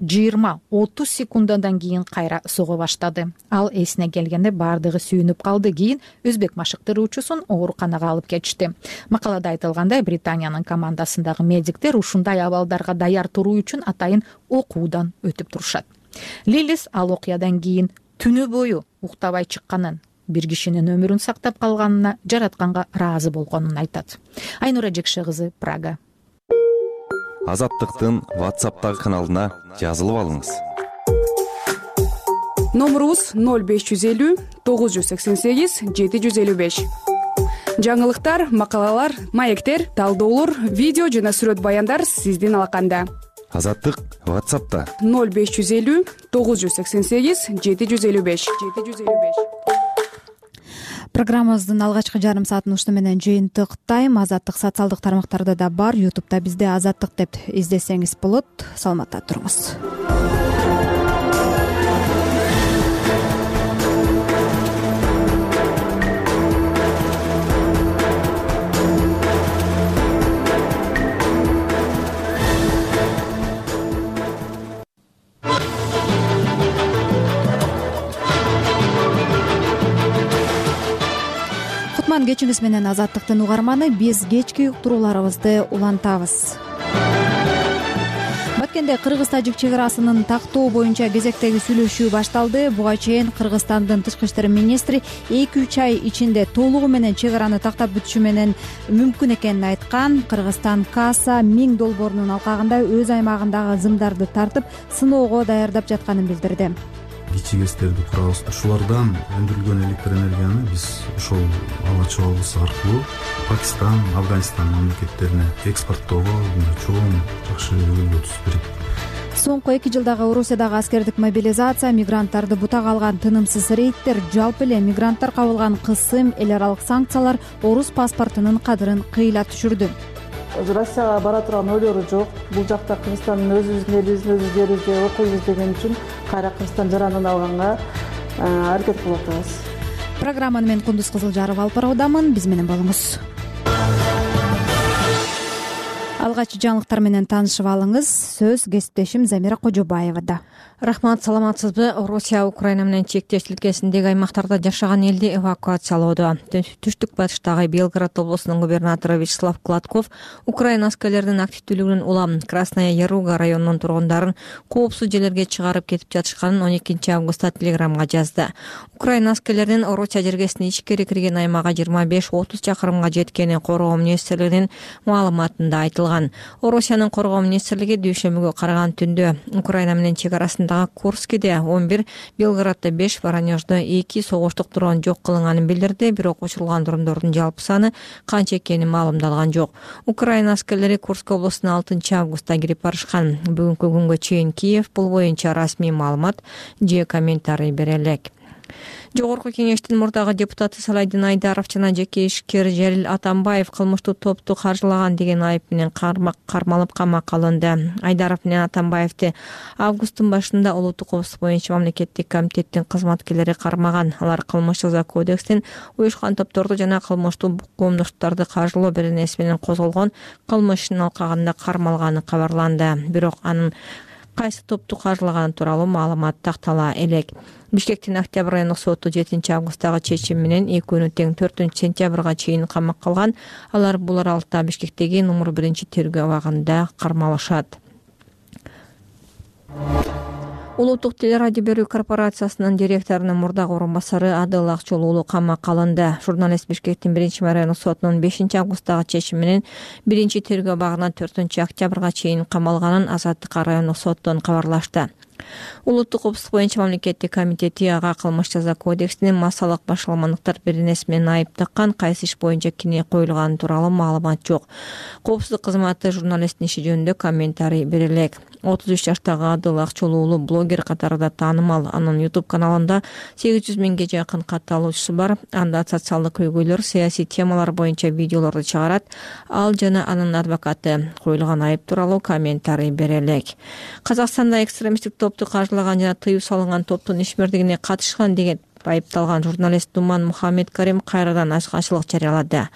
20-30 секундадан кийин кайра сого баштады. Ал эсине келгенде бардыгы сүйүнүп калды. Кийин өзбек машыктыруучусун ооруканага алып кетишти. Макалада айтылгандай, Британиянын командасындагы медиктер ушундай абалдарга даяр туруу үчүн атайын окуудан өтүп турушат. Лилис ал окуядан кийин түнү бою уктабай чыкканын, бир кишинин өмүрүн сактап калганына жаратканга ыраазы болгонун айтат. Айнура Жекше кызы, Прага. Азаттыктын WhatsApp'тагы каналына жазылып алыңыз. Номурубуз 0550 988 755. Жаңылыктар, макалалар, маектер, талдоолор, видео жана сүрөт баяндар сиздин алаканда. Азаттык WhatsApp'та 0550 988 755. Программабыздын алгачкы жарым саатын ушуну менен жыйынтыктайм. Азаттык социалдык тармактарда да бар. YouTube'да бизде Азаттык деп издесеңиз болот. Саламатта туруңуз. кечиңиз менен Азаттыктын угарманы. Биз кечки уктурууларыбызды улантабыз. Баткенде кыргыз-тажик чек арасынын тактоо боюнча кезектеги сүйлөшүү башталды. Буга чейин Кыргызстандын тышкы иштер министри 2-3 ай ичинде толугу менен чек араны тактап бүтүшү менен мүмкүн экенин айткан. Кыргызстан касса 1000 долбоорунун алкагында өз аймагындагы зымдарды тартып сыноого даярдап жатканын билдирди. Кичи ГЭСтерди курабыз. Ушулардан өндүрүлгөн электр энергияны биз ошол ала чабабыз аркылуу Пакистан, Афганистан мамлекеттерине экспорттоого чоң жакшы өбөлгө түзүп берет. Соңку 2 жылдагы Орусиядагы аскердик мобилизация, мигранттарды бутак алган тынымсыз рейдтер, жалпы эле мигранттар кабылган кысым, эл аралык санкциялар орус паспортунун кадырын кыйла түшүрдү. Россияга бара турган ойлору жок. Бул жакта Кыргызстандын өзүбүздүн элибиздин өз жерибизде окуйбуз деген үчүн кайра Кыргызстан жаранын алганга аракет кылып атабыз. Программаны мен Кундуз Кызылжаров алып баруудамын. Биз менен болуңуз. Алгач жаңылыктар менен таанышып алыңыз. Сөз кесиптешим Замира Кожобаевада. Рахмат, саламатсызбы? Россия Украина менен чектеш тилкесиндеги аймактарда жашаган элди эвакуациялоодо. Түштүк батыштагы Белгород облусунун губернатору Вячеслав Кладков Украина аскерлеринин активдүүлүгүнөн улам Красная Яруга районунун тургундарын коопсуз жерлерге чыгарып кетип жатышканын 12 августта телеграмга жазды. Украина аскерлеринин Россия жергесине ичкери кирген аймага 25-30 чакырымга жеткени коргоо министрлигинин маалыматында айтылган. Россиянын коргоо министрлиги дүйшөмбүгө караган түндө Украина менен чек арасындагы Курскиде 11, Белгороддо 5, Воронеждо 2 согуштук дрон жок кылынганын билдирди, бирок учурулган дрондордун жалпы саны канча экени маалымдалган жок. Украина аскерлери Курск облусуна 6 августта кирип барышкан. Бүгүнкү күнгө чейин Киев бул боюнча расмий маалымат же комментарий бере элек. Жогорку кеңештин мурдагы депутаты Салайдин Айдаров жана жеке ишкер Жалил Атамбаев кылмыштуу топту каржылаган деген айып менен кармалып камакка алынды. Айдаров менен Атамбаевди августтун башында улуттук коопсуздук боюнча мамлекеттик комитеттин кызматкерлери кармаган. Алар кылмыш жаза кодекстин уюшкан топторду жана кылмыштуу коомдоштуктарды каржылоо беренеси менен козголгон кылмыштын алкагында кармалганы кабарланды. Бирок анын кайсы топту каржылаганы тууралуу маалымат тактала элек. Бишкектин Октябрь райондук соту 7 августтагы чечим менен экөөнү тең 4 сентябрга чейин камакка алган. Алар бул аралыкта Бишкектеги номер 1 тергөө абагында кармалышат. Улуттук телерадио берүү корпорациясынын директорунун мурдагы орун басары Адыл Акчол уулу камакка алынды. Журналист Бишкектин 1 райондук сотунун 5 августтагы чечими менен 1 тергөө абагына 4 октябрга чейин камалганын Азаттык райондук соттон кабарлашты. Улуттук коопсуздук боюнча мамлекеттик комитети ага кылмыш жаза кодексинин массалык башаламандыктар беренеси менен айып таккан, кайсы иш боюнча кине коюлганы тууралуу маалымат жок. Коопсуздук кызматы журналисттин иши жөнүндө комментарий бере элек. 33 жаштагы Адыл Акчол уулу блогер катарында таанымал. Анын YouTube каналында 800 миңге жакын катталуучусу бар. Анда социалдык көйгөйлөр, саясий темалар боюнча видеолорду чыгарат. Ал жана анын адвокаты коюлган айып тууралуу комментарий бере элек. Казакстанда экстремисттик топту каржылаган жана тыюу салынган топтун ишмердигине катышкан деген айыпталган журналист Думан Мухаммед Карим кайрадан ачкачылык жарыялады.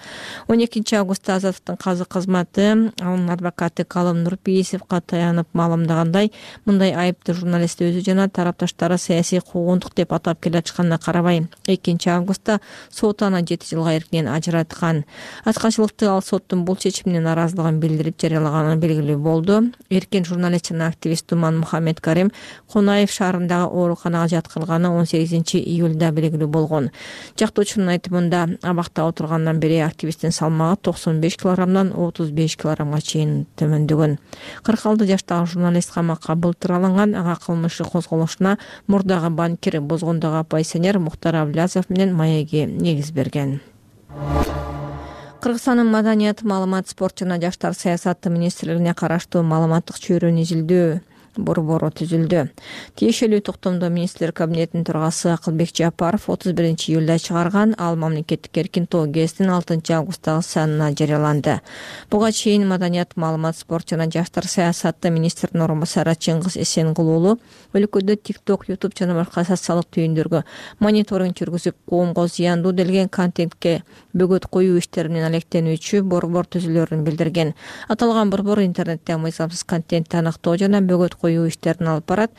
12 августта Азаттыктын казы кызматы анын адвокаты Калым Нурпейисовго таянып маалымдагандай, мындай айыпты журналист өзү жана тарапташтары саясий куугунтук деп атап келе жатканына карабай, 2 августта сот аны 7 жылга эркинен ажыраткан. Ачкачылыкты ал соттун бул чечимине наразылыгын билдирип жарыялаганы белгилүү болду. Эркин журналист жана активист Думан Мухаммед Карим Конаев шаарындагы ооруканага жаткырылганы 18 июль белгилүү болгон. Жактоочунун айтымында абакта отургандан бери активисттин салмагы 95 килограммдан 35 килограммга чейин төмөндөгөн. 46 жаштагы журналист камакка былтыр алынган. Ага кылмышы козголушуна мурдагы банкир, Бозгондогу оппозиционер Мухтар Аблязов менен маеги негиз берген. Кыргызстандын маданият, маалымат, спорт жана жаштар саясаты министрлигине караштуу маалыматтык чөйрөнү изилдөө борбору түзүлдү. Тиешелүү токтомдо министрлер кабинетинин төрагасы Акылбек Жапаров 31 июлда чыгарган. Ал мамлекеттик эркин тоо гезитинин 6 августтагы санына жарыяланды. Буга чейин маданият, маалымат, спорт жана жаштар саясаты министринин орун басары Чыңгыз Эсенгул уулу өлкөдө TikTok, YouTube жана башка социалдык түйүндөргө мониторинг жүргүзүп, коомго зыяндуу делген контентке бөгөт коюу иштери менен алектенүүчү борбор түзүлөрүн билдирген. Аталган борбор интернетте мыйзамсыз контентти аныктоо жана бөгөт коюу иштерин алып барат.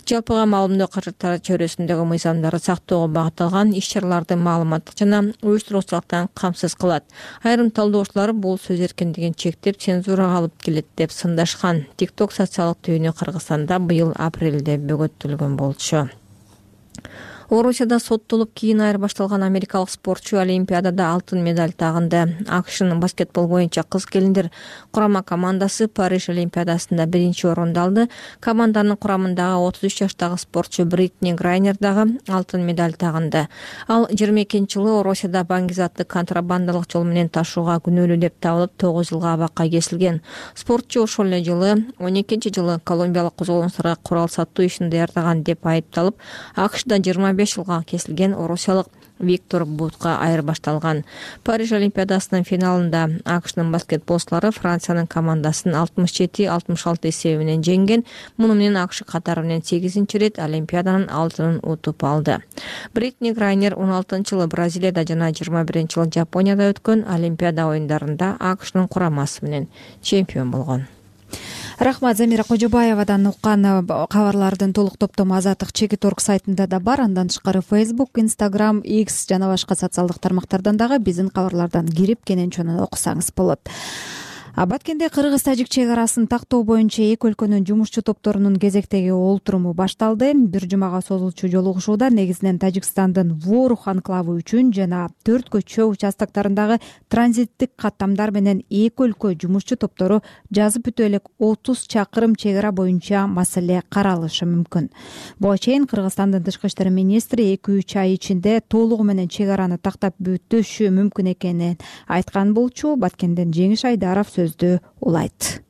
Жалпыга маалымдоо каражаттары чөйрөсүндөгү мыйзамдарды сактоого багытталган иш-чараларды маалыматтык жана уюштуруучулуктан камсыз кылат. Айрым талдоочулар бул сөз эркиндигин чектеп, цензурага алып келет деп сындашкан. TikTok социалдык түйүнү Кыргызстанда быйыл апрелде бөгөттөлгөн болчу. Орусияда соттолуп кийин айырбашталган америкалык спортчу Олимпиадада алтын медаль тагынды. AQShnын баскетбол боюнча кыз келиндер курама командасы Париж Олимпиадасында 1-орунду алды. Команданын курамындагы 33 жаштагы спортчу Бритни Грайнер дагы алтын медаль тагынды. Ал 22-жылы Орусияда баңгизатты контрабандалык жол менен ташууга күнөөлүү деп табылып 9 жылга абакка кесилген. Спортчу ошол эле жылы 12-жылы колумбиялык козголоңчуларга курал сатуу ишин даярдаган деп айыпталып, AQShда 25 жылга кесилген орусиялык Виктор Бутка айырбашталган. Париж Олимпиадасынын финалында AQShnын баскетболчулары Франциянын командасын 67-66 эсеби менен жеңген. Муну менен AQSh катары менен 8-рет Олимпиаданын алтынын утуп алды. Бритни Грайнер 16-жылы Бразилияда жана 21-жылы Жапонияда өткөн Олимпиада оюндарында AQShnын курамасы менен чемпион болгон. Рахмат, Замира Кожобаевадан уккан кабарлардын толук топтому Азаттык Чекит.org сайтында да бар. Андан тышкары Facebook, Instagram, X жана башка социалдык тармактардан дагы биздин кабарлардан кирип кенен окусаңыз болот. Баткенде Кыргыз-Тажик чек арасын тактоо боюнча эки өлкөнүн жумушчу топторунун кезектеги олтуруму башталды. Бир жумага созулчу жолугушууда негизинен Тажикстандын Ворух анклавы үчүн жана 4 көчө участоктарындагы транзиттик каттамдар менен эки өлкө жумушчу топтору жазып бүтө элек 30 чакырым чек ара боюнча маселе каралышы мүмкүн. Буга чейин Кыргызстандын тышкы иштер министри 2-3 ай ичинде толугу менен чек араны тактап бүтүшү мүмкүн экенин айткан болчу. Баткенден Жеңиш Айдаров сөздү улайт.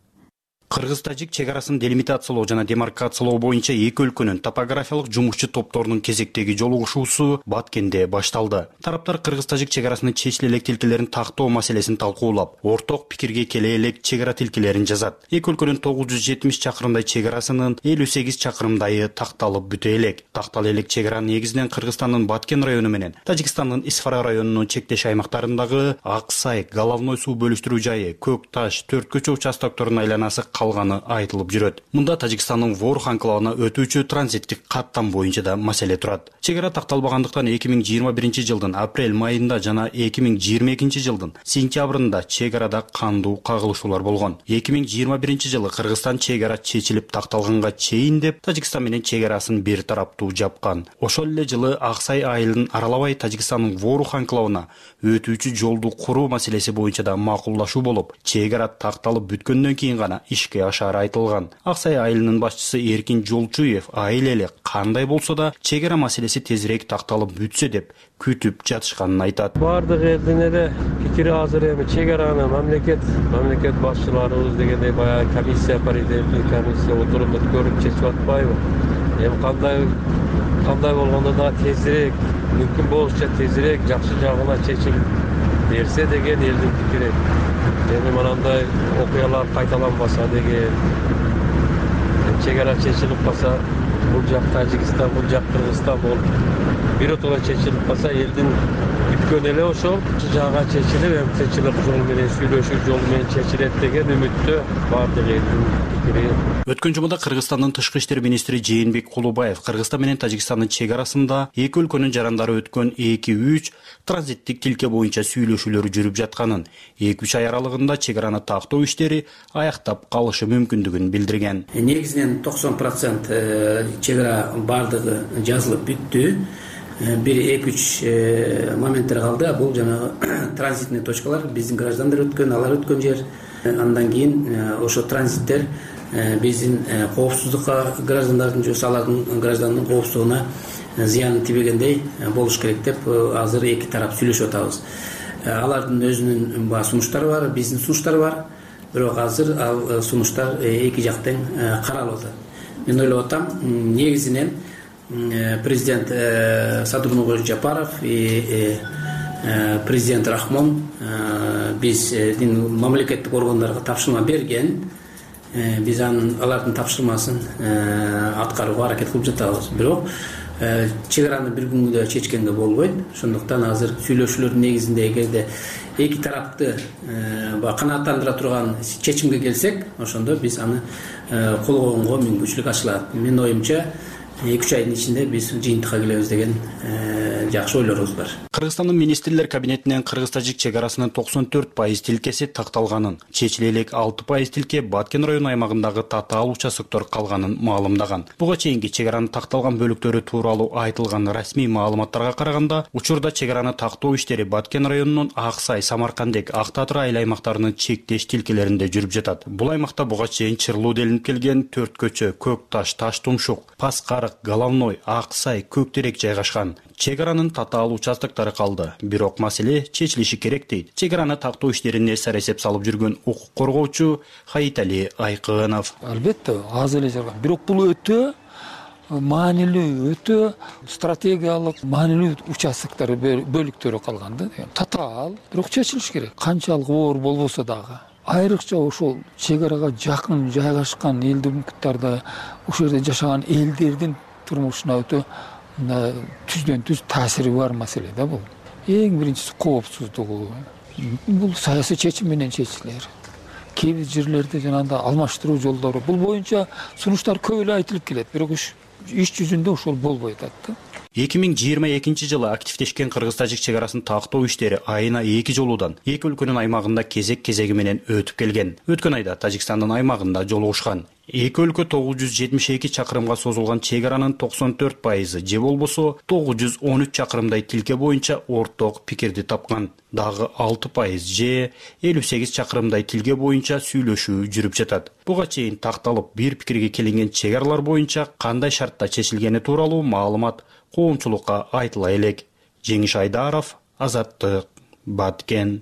Кыргыз-Тажик чек арасын делимитациялоо жана демаркациялоо боюнча эки өлкөнүн топографиялык жумушчу топторунун кезектеги жолугушуусу Баткенде башталды. Тараптар Кыргыз-Тажик чек арасынын чечиле элек тилкелерин тактоо маселесин талкуулап, орток пикирге келе элек чек ара тилкелерин жазат. Эки өлкөнүн 970 чакырымдай чек арасынын 58 чакырымдайы такталып бүтө элек. Тактал элек чек ара негизинен Кыргызстандын Баткен району менен Тажикстандын Исфара районунун чектеш аймактарындагы Аксай, Головной суу бөлүштүрүү жайы, Көк Таш, 4 көчө участокторунун айланасы калганы айтылып жүрөт. Мында Тажикстандын Ворух анклавына өтүүчү транзиттик каттам боюнча да маселе турат. Чек ара такталбагандыктан 2021-жылдын апрель-майында жана 2022-жылдын сентябрында чек арада кандуу кагылышуулар болгон. 2021-жылы Кыргызстан чек ара чечилип такталганга чейин деп Тажикстан менен чек арасын бир тараптуу жапкан. Ошол эле жылы Аксай айылын аралабай Тажикстандын Ворух анклавына өтүүчү жолду куруу маселеси боюнча да макулдашуу болуп, чек ара такталып бүткөндөн кийин гана ишке ашары айтылган. Аксай айылынын башчысы Эркин Жолчуев айыл эле кандай болсо да чек ара маселеси тезирээк такталып бүтсө деп күтүп жатышканын айтат. Бардык элдин эле пикири азыр эми чек араны мамлекет башчыларыбыз дегендей баягы комиссия, паритеттик комиссия отуруп көрүп чечип атпайбы? Эми кандай болгондо да тезирээк, мүмкүн болушунча тезирээк жакшы жагына чечилип берсе деген элдин пикири. Эми мынандай окуялар кайталанбаса деген, чек ара чечилип калса, бул жак Тажикстан, бул жак Кыргызстан болуп биротоло чечилип калса, элдин бүткөн эле ошол жагга чечилип, эми тынччылык жолу менен, сүйлөшүү жолу менен чечилет деген үмүттө бардык элдин пикири. Өткөн жумада Кыргызстандын тышкы иштер министри Жээнбек Кулубаев Кыргызстан менен Тажикстандын чек арасында эки өлкөнүн жарандары өткөн 2-3 транзиттик тилке боюнча сүйлөшүүлөр жүрүп жатканын, 2-3 ай аралыгында чек араны тактоо иштери аяктап калышы мүмкүндүгүн билдирген. Негизинен 90% чек ара бардыгы жазылып бүттү. Бир 2-3 моменттер калды. Бул жанагы транзитный точкалар, биздин граждандар өткөн, алар өткөн жер. Андан кийин ошо транзиттер биздин коопсуздукка граждандардын же алардын гражданынын коопсуздугуна зыяны тийбегендей болуш керек деп азыр эки тарап сүйлөшүп атабыз. Алардын өзүнүн сунуштары бар, биздин сунуштар бар. Бирок азыр ал сунуштар эки жактан каралып атат. Мен ойлоп атам, негизинен президент Садырнурбек Жапаров и президент Рахмон биздин мамлекеттик органдарга тапшырма берген. Биз алардын тапшырмасын аткарууга аракет кылып жатабыз. Бирок чек араны бир күнгө чечкенге болбойт. Ошондуктан азыр сүйлөшүүлөрдүн негизинде эгерде эки тарапты канааттандыра турган чечимге келсек, ошондо биз аны колгоонго мүмкүнчүлүк ачылат. Менин оюмча 2-3 айдын ичинде биз жыйынтыкка келебиз деген жакшы ойлорубуз бар. Кыргызстандын министрлер кабинетинен кыргыз-тажик чек арасынын 94% тилкеси такталганын, чечиле элек 6% тилке Баткен району аймагындагы татаал участоктор калганын маалымдаган. Буга чейинки чек аранын такталган бөлүктөрү тууралуу айтылган расмий маалыматтарга караганда, учурда чек араны тактоо иштери Баткен районунун Аксай, Самаркандек, Ак Татыр айыл аймактарынын чектеш тилкелеринде жүрүп жатат. Бул аймакта буга чейин чырлуу делинип келген Төрт көчө, Көк Таш, Таш Тумшук, Паскарык, Головной, Аксай, Көк Терек жайгашкан. Чек аранын татаал участоктору калды. Бирок маселе чечилиши керек дейт. Чек араны тактоо иштерине эсер эсеп салып жүргөн укук коргоочу Хаитали Айкынов. Албетте, аз эле жарган. Бирок бул өтө маанилүү, өтө стратегиялык маанилүү участоктор бөлүктөрү калган да. Татаал, бирок чечилиш керек. Канчалык оор болбосо дагы. Айрыкча ошол чек арага жакын жайгашкан элдүү муктарда ошол жерде жашаган элдердин турмушуна өтө түздөн түз таасири бар маселе да бул. Эң биринчиси коопсуздугу. Бул саясий чечим менен чечилер. Кээ бир жерлерде жанагындай алмаштыруу жолдору бул боюнча сунуштар көп эле айтылып келет, бирок иш жүзүндө ошол болбой атат да. 2022 жылы активдешкен кыргыз-тажик чек арасын тактоо иштери айына 2 жолудан эки өлкөнүн аймагында кезек-кезеги менен өтүп келген. Өткөн айда Тажикстандын аймагында жолугушкан. Эки өлкө 972 чакырымга созулган чек аранын 94% же болбосо 913 чакырымдай тилке боюнча орток пикирди тапкан. Дагы 6% же 58 чакырымдай тилке боюнча сүйлөшүү жүрүп жатат. Буга чейин такталып бир пикирге келинген чек аралар боюнча кандай шартта чечилгени тууралуу маалымат коомчулукка айтыла элек. Жеңиш Айдаров, Азаттык, Баткен.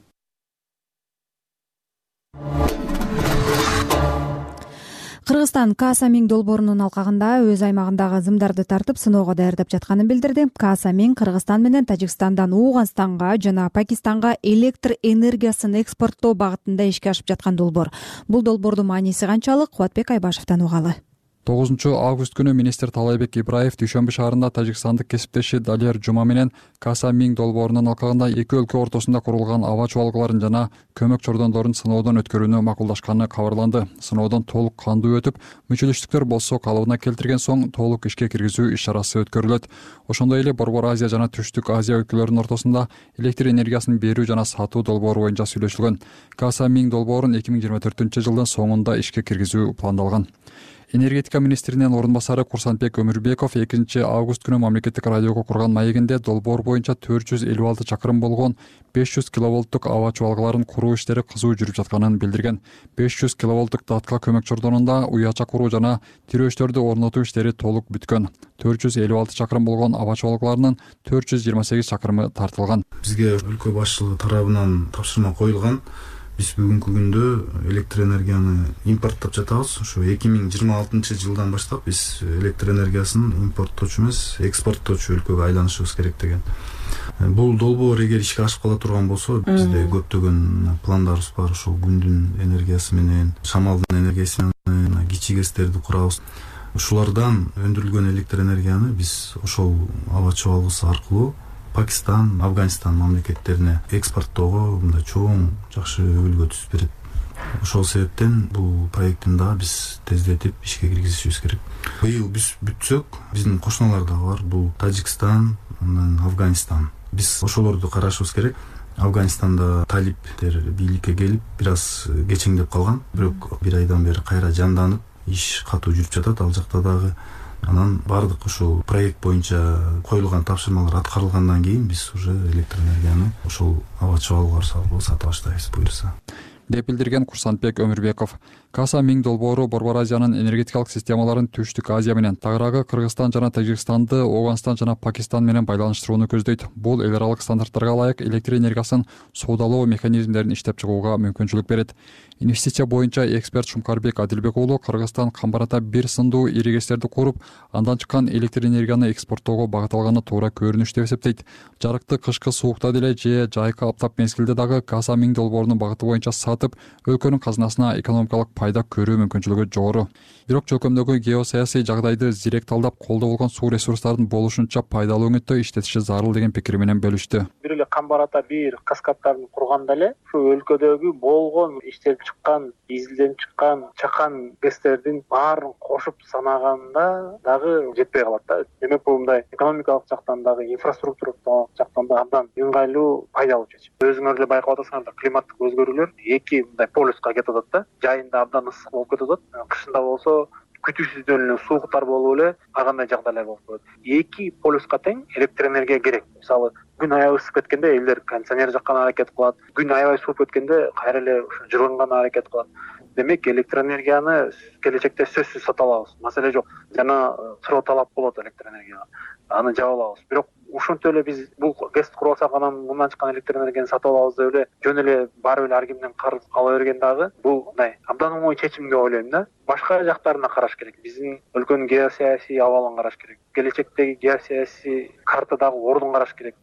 Кыргызстан Каасамин долбоорунун алкагында өз аймагындагы зымдарды тартып сыноого даярдап жатканын билдирди. Каасамин Кыргызстан менен Тажикстандан Ооганстанга жана Пакистанга электр энергиясын экспорттоо багытында ишке ашып жаткан долбоор. Бул долбоордун мааниси канчалык? Кубатбек Айбашевден угалы. 9-август күнү министр Талайбек Ибраев Дүйшөмбү шаарында тажикстандык кесиптеши Далер Жума менен Каасамин долбоорунун алкагында эки өлкө ортосунда курулган аба чубалгыларын жана көмөк чордондорун сыноодон өткөрүүнү макулдашканы кабарланды. Сыноодон толук кандуу өтүп, мүчөлүштүктөр болсо калыбына келтирген соң толук ишке киргизүү иш-чарасы өткөрүлөт. Ошондой эле Борбор Азия жана Түштүк Азия өлкөлөрүнүн ортосунда электр энергиясын берүү жана сатуу долбоору боюнча сүйлөшүлгөн. Каасамин долбоорун 2024-жылдын соңунда ишке киргизүү пландалган. Энергетика министринин орун басары Курсанбек Өмүрбеков 2-август күнү мамлекеттик радиого курган маегинде долбоор боюнча 456 чакырым болгон 500 киловолттук аба чубалгыларын куруу иштери кызуу жүрүп жатканын билдирген. 500 киловолттук датка көмөк чордонунда уяча куруу жана тирөөчтөрдү орнотуу иштери толук бүткөн. 456 чакырым болгон аба чубалгыларынын 428 чакырымы тартылган. Бизге өлкө башчылыгы тарабынан тапшырма коюлган. Биз бүгүнкү күндө электр энергияны импорттоп жатабыз. Ошо 2026 жылдан баштап биз электр энергиясын импорттоочу эмес, экспорттоочу өлкөгө айланышыбыз керек деген. Бул долбоор эгер ишке ашып кала турган болсо, бизде көптөгөн пландарыбыз бар. Ошол күндүн энергиясы менен, шамалдын энергиясы менен кичи ГЭСтерди курабыз. Ушулардан өндүрүлгөн электр энергияны биз ошол аба чубалгысы аркылуу Пакистан, Афганистан мамлекеттерине экспорттоого мындай чоң жакшы үлгү түзүп берет. Ошол себептен бул проекттин да биз тездетип ишке киргизишибиз керек. Быйыл биз бүтсөк, биздин кошуналар дагы бар. Бул Тажикстан, анан Афганистан. Биз ошолорду карашыбыз керек. Афганистанда талиптер бийликке келип, бир аз кечеңдеп калган. Бирок бир айдан бери кайра жанданып, иш катуу жүрүп жатат. Ал жакта дагы анан бардык ошол проект боюнча коюлган тапшырмалар аткарылгандан кийин биз уже электр энергияны ошол аба чубалгылар аркылуу сата баштайбыз буюрса, деп билдирген Курсанбек Өмүрбеков. Каасамин долбоору Борбор Азиянын энергетикалык системаларын Түштүк Азия менен, тагыраагы Кыргызстан жана Тажикстанды Ооганстан жана Пакистан менен байланыштырууну көздөйт. Бул эл аралык стандарттарга ылайык электр энергиясын соодалоо механизмдерин иштеп чыгууга мүмкүнчүлүк берет. Инвестиция боюнча эксперт Шумкарбек Адилбек уулу Кыргызстан камбарата бир сындуу ири ГЭСтерди куруп, андан чыккан электр энергияны экспорттоого багытталганы туура көрүнүш деп эсептейт. Жарыкты кышкы суукта деле же жайкы аптап мезгилде дагы Каасамин долбоорунун багыты боюнча сатып, өлкөнүн казынасына экономикалык пайда көрүү мүмкүнчүлүгү жогору. Бирок чөлкөмдөгү геосаясий жагдайды зирек талдап колдо болгон суу ресурстарын болушунча пайдалуу өңүттө иштетиши зарыл деген пикири менен бөлүштү. Бир эле Камбар-Ата бир каскадтарын курганда эле ушу өлкөдөгү болгон иштелип чыккан, изилденип чыккан чакан гэстердин баарын кошуп санаганда дагы жетпей калат да. Демек бул мындай экономикалык жактан дагы, инфраструктуралык жактан да абдан ыңгайлуу, пайдалуу чечим. Өзүңөр эле байкап атасыңар, климаттык өзгөрүүлөр эки мындай полюска кетип атат да. Жайында абдан ысык болуп кетип атат, кышында болсо күтүүсүздөн эле сууктар болуп эле ар кандай жагдайлар болуп коет. Эки полюска тең электр энергия керек. Мисалы, күн аябай ысып кеткенде элдер кондиционер жаккан аракет кылат, күн аябай сууп кеткенде кайра эле жылынган аракет кылат. Демек электроэнергияны келечекте сөзсүз сата алабыз, маселе жок. Жана суроо талап болот электр энергияга, аны жаба алабыз. Бирок ушинтип эле биз бул ГЭСти куруп алсак, анан мындан чыккан электр энергияны сатып алабыз деп эле жөн эле барып эле ар кимден карыз ала берген дагы бул мындай абдан оңой чечим деп ойлойм да. Башка жактарына караш керек. Биздин өлкөнүн геосаясий абалын караш керек. Келечектеги геосаясий картадагы ордун караш керек.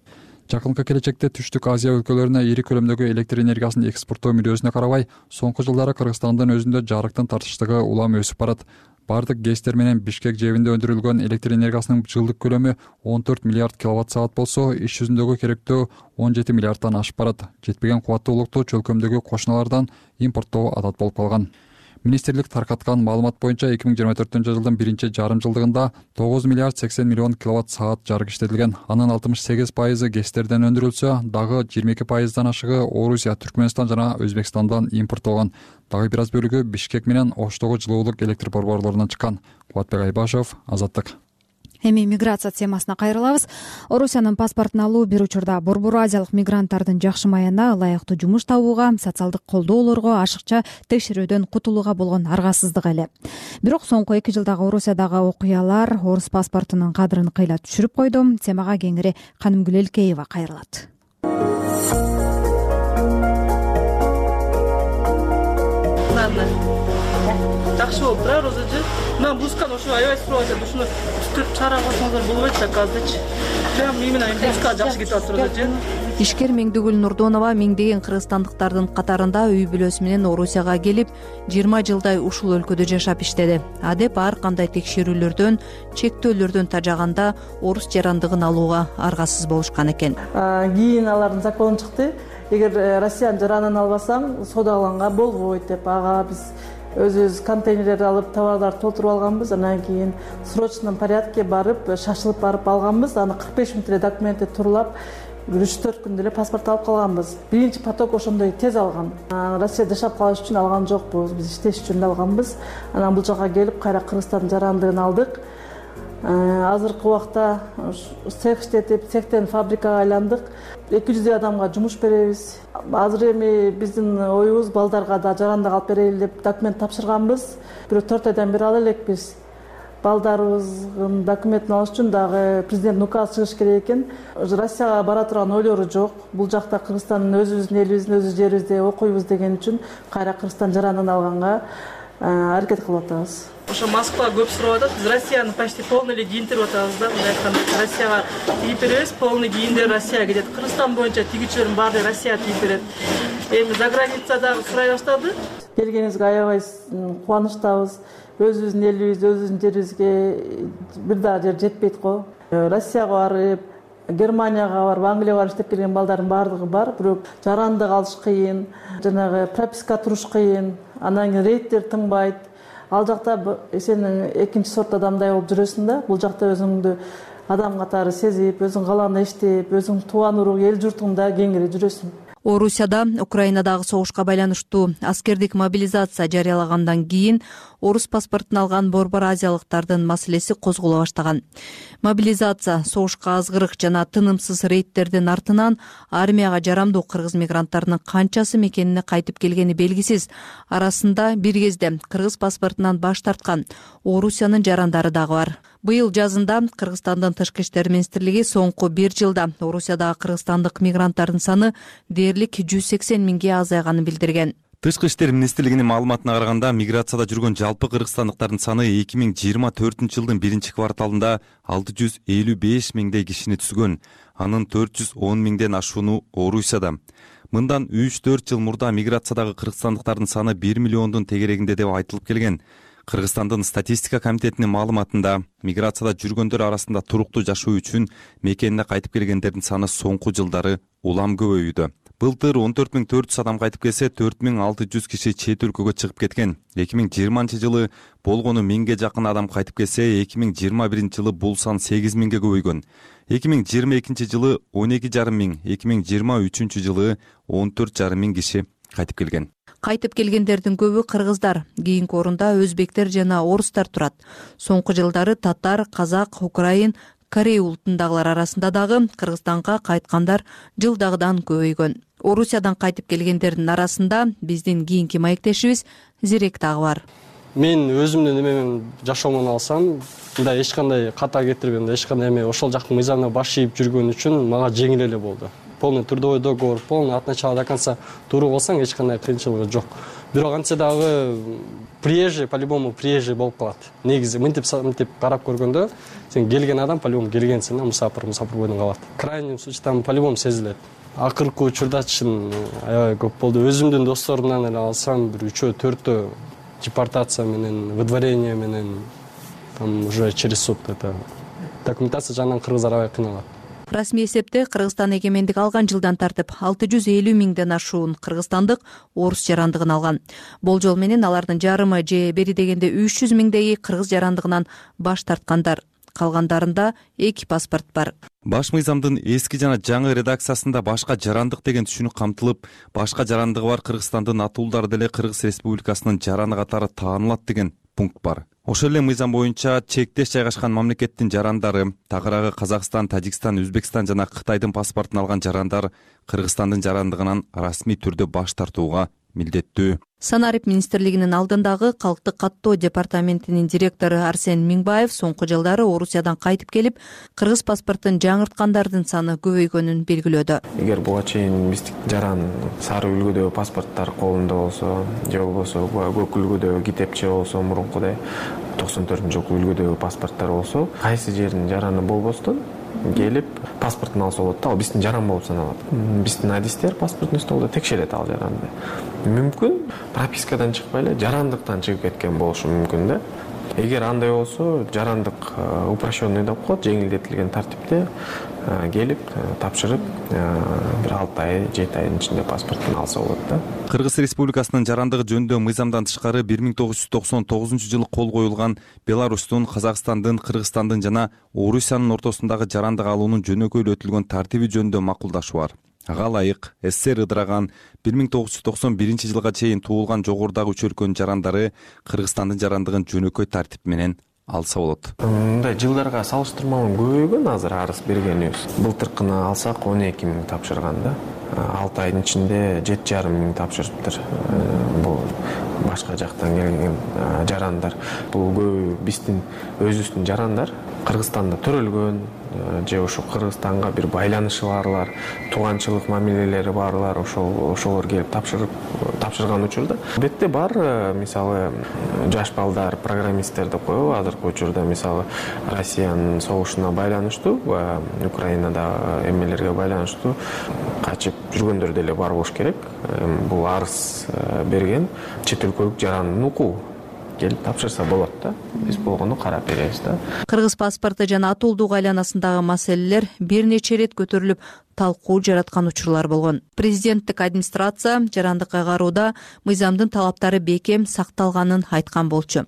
Жакынкы келечекте Түштүк Азия өлкөлөрүнө ири көлөмдөгү электр энергиясын экспорттоо мүдөөсүнө карабай, соңку жылдары Кыргызстандын өзүндө жарыктын тартыштыгы улам өсүп барат. Бардык ГЭСтер менен Бишкек жэбинде өндүрүлгөн электр энергиясынын жылдык көлөмү 14 миллиард киловатт саат болсо, иш жүзүндөгү керектөө 17 миллиардтан ашып барат. Жетпеген кубаттуулукту чөлкөмдөгү кошуналардан импорттоо адат болуп калган. Министрлик таркаткан маалымат боюнча 2024-жылдын биринчи жарым жылдыгында 9 миллиард 80 миллион киловатт саат жарык иштетилген. Анын 68% ГЭСтерден өндүрүлсө, дагы 22%дан ашыгы Орусия, Түркмөнстан жана Өзбекстандан импорттолгон. Дагы бир аз бөлүгү Бишкек менен Оштогу жылуулук электр борборлорунан чыккан. Кубатбек Айбашев, Азаттык. Эми миграция темасына кайрылабыз. Орусиянын паспортун алуу бир учурда Борбор Азиялык мигранттардын жакшымаянына, ылайыктуу жумуш табууга, социалдык колдоолорго, ашыкча текшерүүдөн кутулууга болгон аргасыздык эле. Бирок соңку 2 жылдагы Орусиядагы окуялар орус паспортунун кадырын кыйла түшүрүп койду. Темага кеңири Канымгүл Элкеева кайрылат. Жакшы болуп турабы розожу? Мен бусканы ошо аябай сурап атат. Ушуну түтүп чара койсоңуздар болбойт да казырчы. Прям именно буска жакшы кетип атат розожу. Ишкер Меңдигүл Нурдонова миңдеген кыргызстандыктардын катарында үй бүлөсү менен Орусияга келип, 20 жылдай ушул өлкөдө жашап иштеди. Адеп ар кандай текшерүүлөрдөн, чектөөлөрдөн тажаганда орус жарандыгын алууга аргасыз болушкан экен. Кийин алардын закону чыкты. Эгер Россиянын жаранын албасаң, соодаланга болбойт деп, ага биз өзүбүз контейнерлерди алып, товарларды толтуруп алганбыз. Анан кийин срочном порядке барып, шашылып барып алганбыз. Аны 45 мүнөт эле документти турлап, 3-4 күндө эле паспорт алып калганбыз. Биринчи поток ошондой тез алган. Россияда жашап калыш үчүн алган жокпуз, биз иштеш үчүн алганбыз. Анан бул жака келип, кайра Кыргызстандын жарандыгын алдык. Азыркы убакта цех иштетип, цехтен фабрикага айландык. 200 адамга жумуш беребиз. Азыр эми биздин оюбуз балдарга да жарандык алып берели деп документ тапшырганбыз. Бирок 4 айдан бери ала элекпиз. Балдарыбыздын документин алыш үчүн дагы президент указ чыгыш керек экен. Россияга бара турган ойлору жок. Бул жакта Кыргызстандын өзүбүздүн элибиздин өз жерибизде окуйбуз деген үчүн кайра Кыргызстан жарандыгын алганга аракет кылып атабыз. Ошо Москва көп сурап атат. Биз Россияны почти полный эле кийинтирип атабыз да. Мындай айтканда Россияга тийип беребиз, полный кийиндер Россияга кетет. Кыргызстан боюнча тигүүчүлөрдүн баары Россияга тийип берет. Эми за границадагы сурай баштады. Келгениңизге аябай кубанычтабыз. Өзүбүздүн элибиз, өзүбүздүн жерибизге бир дагы жер жетпейт го. Россияга барып, Германияга барып, Англияга барып иштеп келген балдардын баардыгы бар. Бирок жарандык алыш кыйын, жанагы прописка туруш кыйын, анан кийин рейдтер тынбайт. Ал жакта сен экинчи сорт адамдай болуп жүрөсүң да. Бул жакта өзүңдү адам катары сезип, өзүң каалагандай иштеп, өзүң тууган урук, эл журтуңда кеңири жүрөсүң. Орусияда Украинадагы согушка байланыштуу аскердик мобилизация жарыялагандан кийин орус паспортун алган Борбор Азиялыктардын маселеси козголо баштаган. Мобилизация, согушка азгырык жана тынымсыз рейдтердин артынан армияга жарамдуу кыргыз мигранттарынын канчасы мекенине кайтып келгени белгисиз. Арасында бир кезде кыргыз паспортунан баш тарткан Орусиянын жарандары дагы бар. Быйыл жазында Кыргызстандын Тышкы иштер министрлиги соңку 1 жылда Орусиядагы кыргызстандык мигранттардын саны дээрлик 180 миңге азайганын билдирген. Тышкы иштер министрлигинин маалыматына караганда, миграцияда жүргөн жалпы кыргызстандыктардын саны 2024-жылдын 1 кварталында 655 миңдей кишини түзгөн. Анын 410 миңден ашууну Орусияда. Мындан 3-4 жыл мурда миграциядагы кыргызстандыктардын саны 1 миллиондун тегерегинде деп айтылып келген. Кыргызстандын статистика комитетинин маалыматында миграцияда жүргөндөр арасында туруктуу жашоо үчүн мекенине кайтып келгендердин саны соңку жылдары улам көбөйүүдө. Былтыр 14.400 адам кайтып келсе, 4.600 киши чет өлкөгө чыгып кеткен. 2020 жылы болгону 1000ге жакын адам кайтып келсе, 2021 жылы бул сан 8000ге көбөйгөн. 2022 жылы 12,5 миң, 2023 жылы 14,5 миң киши кайтып келген. Кайтып келгендердин көбү кыргыздар, кийинки орунда өзбектер жана орустар турат. Соңку жылдары татар, казак, украин, корей улутундагылар арасында дагы Кыргызстанга кайткандар жылдагыдан көбөйгөн. Орусиядан кайтып келгендердин арасында биздин кийинки маектешибиз Зирек дагы бар. Мен өзүмдүн эмемен жашоомун алсам, мындай эч кандай ката кетирбейм, эч кандай эме ошол жактын мыйзамына баш ийип жүргөн үчүн мага жеңил эле болду. Полный трудовой договор, полный от начала до конца тууру болсаң эч кандай кыйынчылыгы жок. Бирок антсе дагы приезжий, по-любому приезжий болуп калат. Негизи мынтип карап көргөндө сен келген адам по-любому келгенсиң, мусапыр бойдон калат. Крайний случай там по-любому сезилет. Акыркы учурда чын аябай көп болду. Өзүмдүн досторумдан эле алсам, бир 3-4 депортация менен, выдворение менен, там уже через суд это документация жагынан кыргыздар аябай кыйналат. Расмий эсепте Кыргызстан эгемендик алган жылдан тартып 650 миңден ашуун кыргызстандык орус жарандыгын алган. Болжол менен алардын жарымы же бери дегенде 300 миңдеги кыргыз жарандыгынан баш тарткандар. Калгандарында 2 паспорт бар. Баш мыйзамдын эски жана жаңы редакциясында башка жарандык деген түшүнүк камтылып, башка жарандыгы бар Кыргызстандын атуулдары деле Кыргыз Республикасынын жараны катары таанылат деген пункт бар. Ошол эле мыйзам боюнча чектеш жайгашкан мамлекеттин жарандары, тагыраагы Казакстан, Тажикстан, Өзбекстан жана Кытайдын паспортун алган жарандар Кыргызстандын жарандыгынан расмий түрдө баш тартууга милдеттүү. Санарип министрлигинин алдындагы калктык каттоо департаментинин директору Арсен Миңбаев соңку жылдары Орусиядан кайтып келип, кыргыз паспортун жаңырткандардын саны көбөйгөнүн белгилөөдө. Эгер буга чейин биздик жаран сары үлгүдөгү паспорттор колунда болсо, же болбосо көк үлгүдөгү китепче болсо, мурункудай 94-жылкы үлгүдөгү паспорттор болсо, кайсы жердин жараны болбостон келип паспортун алса болот да, ал биздин жаран болуп саналат. Биздин адистер паспорттун столдо текшерет ал жаранды. Мүмкүн пропискадан чыкпай эле жарандыктан чыгып кеткен болушу мүмкүн да. Эгер андай болсо, жарандык упрощенный деп коет, жеңилдетилген тартипте келип тапшырып бир 6 ай, 7 айдын ичинде паспортун алса болот да. Кыргыз Республикасынын жарандыгы жөнүндө мыйзамдан тышкары 1999-жылы кол коюлган Беларустун, Казакстандын, Кыргызстандын жана Орусиянын ортосундагы жарандык алуунун жөнөкөйлөтүлгөн тартиби жөнүндө макулдашуу бар. Ага ылайык СССР ыдыраган 1991 жылга чейин туулган жогорудагы 3 өлкөнүн жарандары Кыргызстандын жарандыгын жөнөкөй тартип менен алса болот. Мындай жылдарга салыштырмалуу көбөйгөн азыр арыз бергенибиз. Былтыркыны алсак 12 миң тапшырган да. 6 айдын ичинде 7,5 миң тапшырыптыр. Бул башка жактан келген жарандар. Бул көбү биздин өзүбүздүн жарандар Кыргызстанда төрөлгөн же ошо Кыргызстанга бир байланышы барлар, тууганчылык мамилелери барлар, ошолор келип тапшырган учурда. Бетте бар, мисалы, жаш балдар, программисттер деп коебу, азыркы учурда мисалы Россиянын согушуна байланыштуу, Украинада эмелерге байланыштуу качып жүргөндөр деле бар болуш керек. Бул арыз берген чет өлкөлүк жарандын укугу. Келип тапшырса болот да. Биз болгону карап беребиз да. Кыргыз паспорту жана атуулдук айланасындагы маселелер бир нече ирет көтөрүлүп, талкуу жараткан учурлар болгон. Президенттик администрация жарандыкка кароодо мыйзамдын талаптары бекем сакталганын айткан болчу.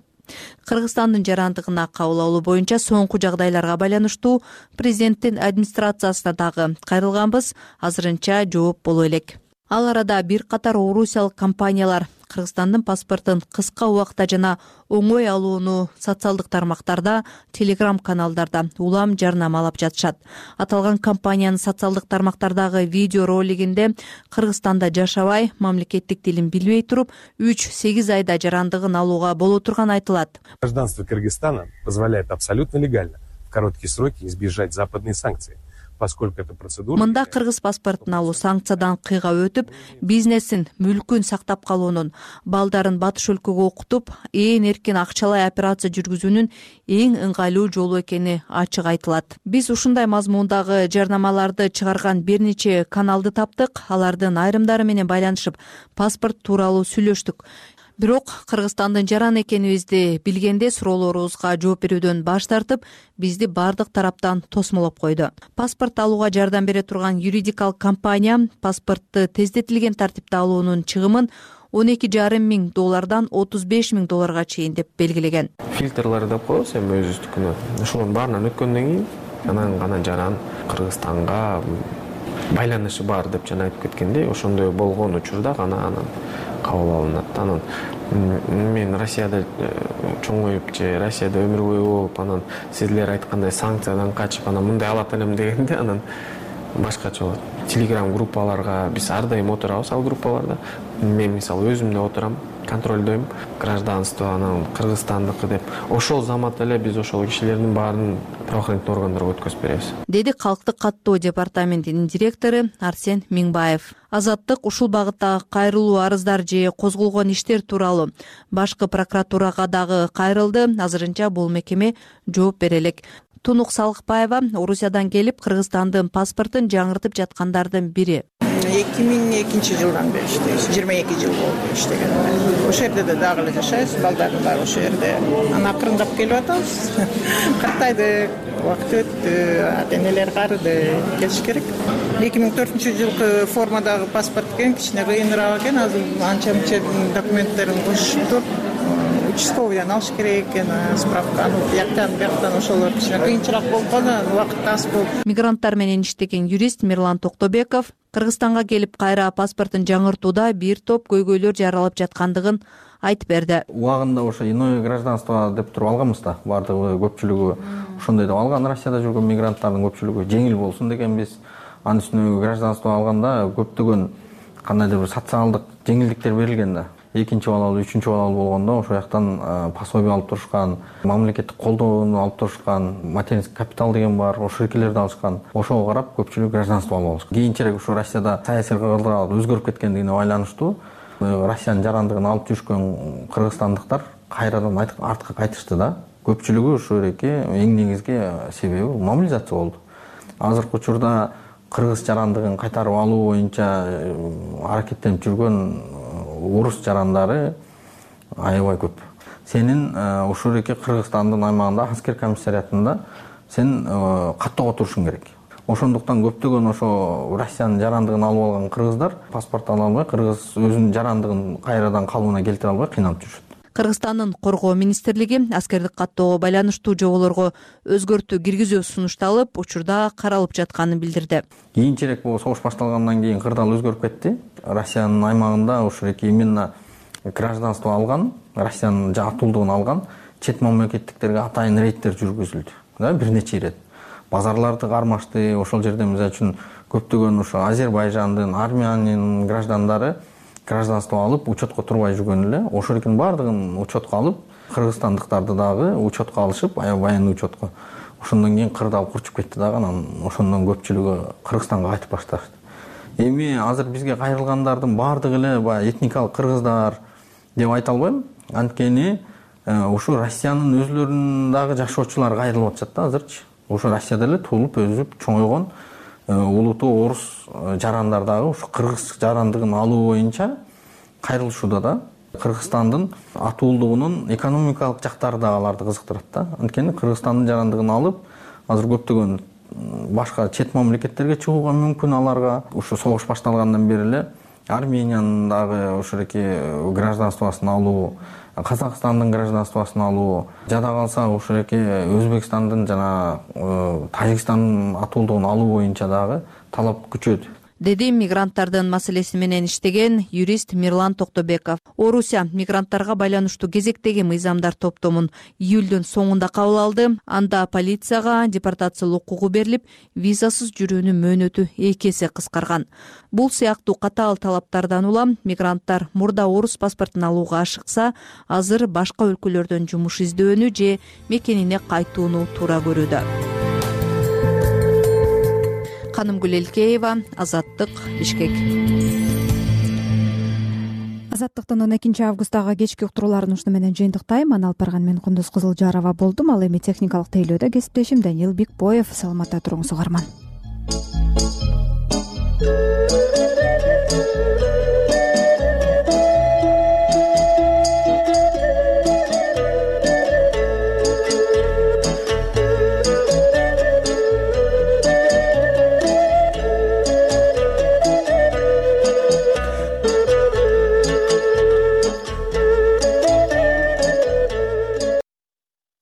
Кыргызстандын жарандыгына кабыл алуу боюнча соңку жагдайларга байланыштуу президенттин администрациясына дагы кайрылганбыз, азырынча жооп боло элек. Ал арада бир катар орусиялык компаниялар Кыргызстандын паспортун кыска убакта жана оңой алууну социалдык тармактарда, телеграм-каналдарда улам жарнамалап жатышат. Аталган компаниянын социалдык тармактардагы видео ролигинде Кыргызстанда жашабай, мамлекеттик тилин билбей туруп, 3-8 айда жарандыгын алууга боло турганы айтылат. Гражданство Кыргызстана позволяет абсолютно легально в короткие сроки избежать западной санкции. поскольку эта процедура. Мында кыргыз паспортун алуу санкциядан кыйгап өтүп, бизнесин, мүлкүн сактап калуунун, балдарын батыш өлкөгө окутуп, ээн эркин акчалай операция жүргүзүүнүн эң ыңгайлуу жолу экени ачык айтылат. Биз ушундай мазмундагы жарнамаларды чыгарган бир нече каналды таптык. Алардын айрымдары менен байланышып, паспорт тууралуу сүйлөштүк. Бирок Кыргызстандын жаран экенибизди билгенде суроолорубузга жооп берүүдөн баш тартып, бизди бардык тараптан тосмолоп койду. Паспорт алууга жардам бере турган юридикалык компания паспортты тездетилген тартипте алуунун чыгымын $12,5 миң $35,000 чейин деп белгилеген. Фильтрлар деп коебуз эми өзүбүздүкүнө. Ошолордун баарынан өткөндөн кийин анан гана жаран Кыргызстанга байланышы бар деп жана айтып кеткендей, ошондой болгон учурда гана анан кабыл алынат. Анан мен Россияда чоңоюп же Россияда өмүр бою болуп, анан силер айткандай санкциядан качып, анан мындай алат элем дегенде анан башкача болот. Телеграм группаларга биз ар дайым отурабыз, ал группаларда. Мен мисалы өзүм да отурам, контролдойм гражданство, анан Кыргызстандыкы деп. Ошол замат эле биз ошол кишилердин баарын правоохранительный органдарга өткөзүп беребиз. Деди Калктык каттоо департаментинин директору Арсен Миңбаев. Азаттык ушул багыттагы кайрылуу арыздар же козголгон иштер тууралуу башкы прокуратурага дагы кайрылды. Азырынча бул мекеме жооп бере элек. Тунук Салыкбаева Орусиядан келип Кыргызстандын паспортун жаңыртып жаткандардын бири. 2002-жылдан бери иштейбиз. 22 жыл болду иштеген. Ошол жерде дагы эле жашайбыз, балдарым бар ошол жерде. Анан акырындап келип атабыз. Картайды, убакыт өттү, ата-энелер карыды, келиш керек. 2004-жылкы формадагы паспорт экен, кичине кыйыныраак экен. Азыр анча-мынча документтерин кошуп туруп, участковыйдан алыш керек экен, справканы, бияктан ошолор кичине кыйынчыраак болуп калды, убакыт аз болуп. Мигранттар менен иштеген юрист Мирлан Токтобеков Кыргызстанга келип кайра паспортун жаңыртууда бир топ көйгөйлөр жаралып жаткандыгын айтып берди. Убагында ошо иное гражданство деп туруп алганбыз да, бардыгы көпчүлүгү ошондой деп алган. Россияда жүргөн мигранттардын көпчүлүгү жеңил болсун дегенбиз. Анын үстүнө гражданство алганда көптөгөн кандайдыр бир социалдык жеңилдиктер берилген да. Экинчи балалуу, үчүнчү балалуу болгондо ошол жактан пособие алып турушкан, мамлекеттик колдоону алып турушкан, материнский капитал деген бар, ошол эркелерди алышкан. Ошого карап көпчүлүк гражданство алып алышкан. Кийинчерээк ушу Россияда саясий кыргыздар өзгөрүп кеткендигине байланыштуу Россиянын жарандыгын алып жүрүшкөн кыргызстандыктар кайрадан артка кайтышты да. Көпчүлүгү ошол эки эң негизги себеби мобилизация болду. Азыркы учурда кыргыз жарандыгын кайтарып алуу боюнча аракеттенип жүргөн орус жарандары аябай көп. Сенин ошол эки Кыргызстандын аймагында аскер комиссариатында сен каттоого турушуң керек. Ошондуктан көптөгөн ошо Россиянын жарандыгын алып алган кыргыздар паспорт ала албай, кыргыз өзүнүн жарандыгын кайрадан калыбына келтире албай кыйналып жүрүшөт. Кыргызстандын коргоо министрлиги аскердик каттоого байланыштуу жоболорго өзгөртүү киргизүү сунушталып, учурда каралып жатканын билдирди. Кийинчерээк бул согуш башталгандан кийин кырдаал өзгөрүп кетти. Россиянын аймагында ошол эки именно гражданство алган, Россиянын атуулдугун алган чет мамлекеттиктерге атайын рейдтер жүргүзүлдү. Да, бир нече ирет. Базарларды кармашты. Ошол жерде мисалы үчүн көптөгөн ошо Азербайжандын, Армениянын граждандары гражданство алып, учетко турбай жүргөн эле. Ошол экинин баардыгын учетко алып, кыргызстандыктарды дагы учетко алышып, аябай учетко. Ошондон кийин кырдаал курчуп кетти дагы, анан ошондон көпчүлүгү Кыргызстанга кайтып башташты. Эми азыр бизге кайрылгандардын баардыгы эле баягы этникалык кыргыздар деп айта албайм. Анткени ушу Россиянын өзүлөрүнүн дагы жашоочулары кайрылып атышат да азырчы. Ошо Россияда эле туулуп, өсүп, чоңойгон улуттуу орус жарандар дагы ушу кыргыз жарандыгын алуу боюнча кайрылышууда да. Кыргызстандын атуулдугунун экономикалык жактары да аларды кызыктырат да. Анткени Кыргызстандын жарандыгын алып, азыр көптөгөн башка чет мамлекеттерге чыгууга мүмкүн аларга. Ушу согуш башталгандан бери эле Армениянын дагы ошол эки гражданствосын алуу, Казакстандын гражданствосын алуу, жада калса ошол эки Өзбекстандын жана Тажикстандын атуулдугун алуу боюнча дагы талап күчөдү. Деди мигранттардын маселеси менен иштеген юрист Мирлан Токтобеков. Орусия мигранттарга байланыштуу кезектеги мыйзамдар топтомун июлдун соңунда кабыл алды. Анда полицияга депортациялоо укугу берилип, визасыз жүрүүнүн мөөнөтү 2 эсе кыскарган. Бул сыяктуу катаал талаптардан улам мигранттар мурда орус паспортун алууга ашыкса, азыр башка өлкөлөрдөн жумуш издөөнү же мекенине кайтууну туура көрүүдө. Канымгүл Элкеева, Азаттык, Бишкек. Азаттыктын 12 августтагы кечки уктурууларын ушуну менен жыйынтыктайм. Аны алып барган мен Кундуз Кызылжарова болдум. Ал эми техникалык тейлөөдө кесиптешим Даниил Бекбоев. Саламатта туруңуз угарман.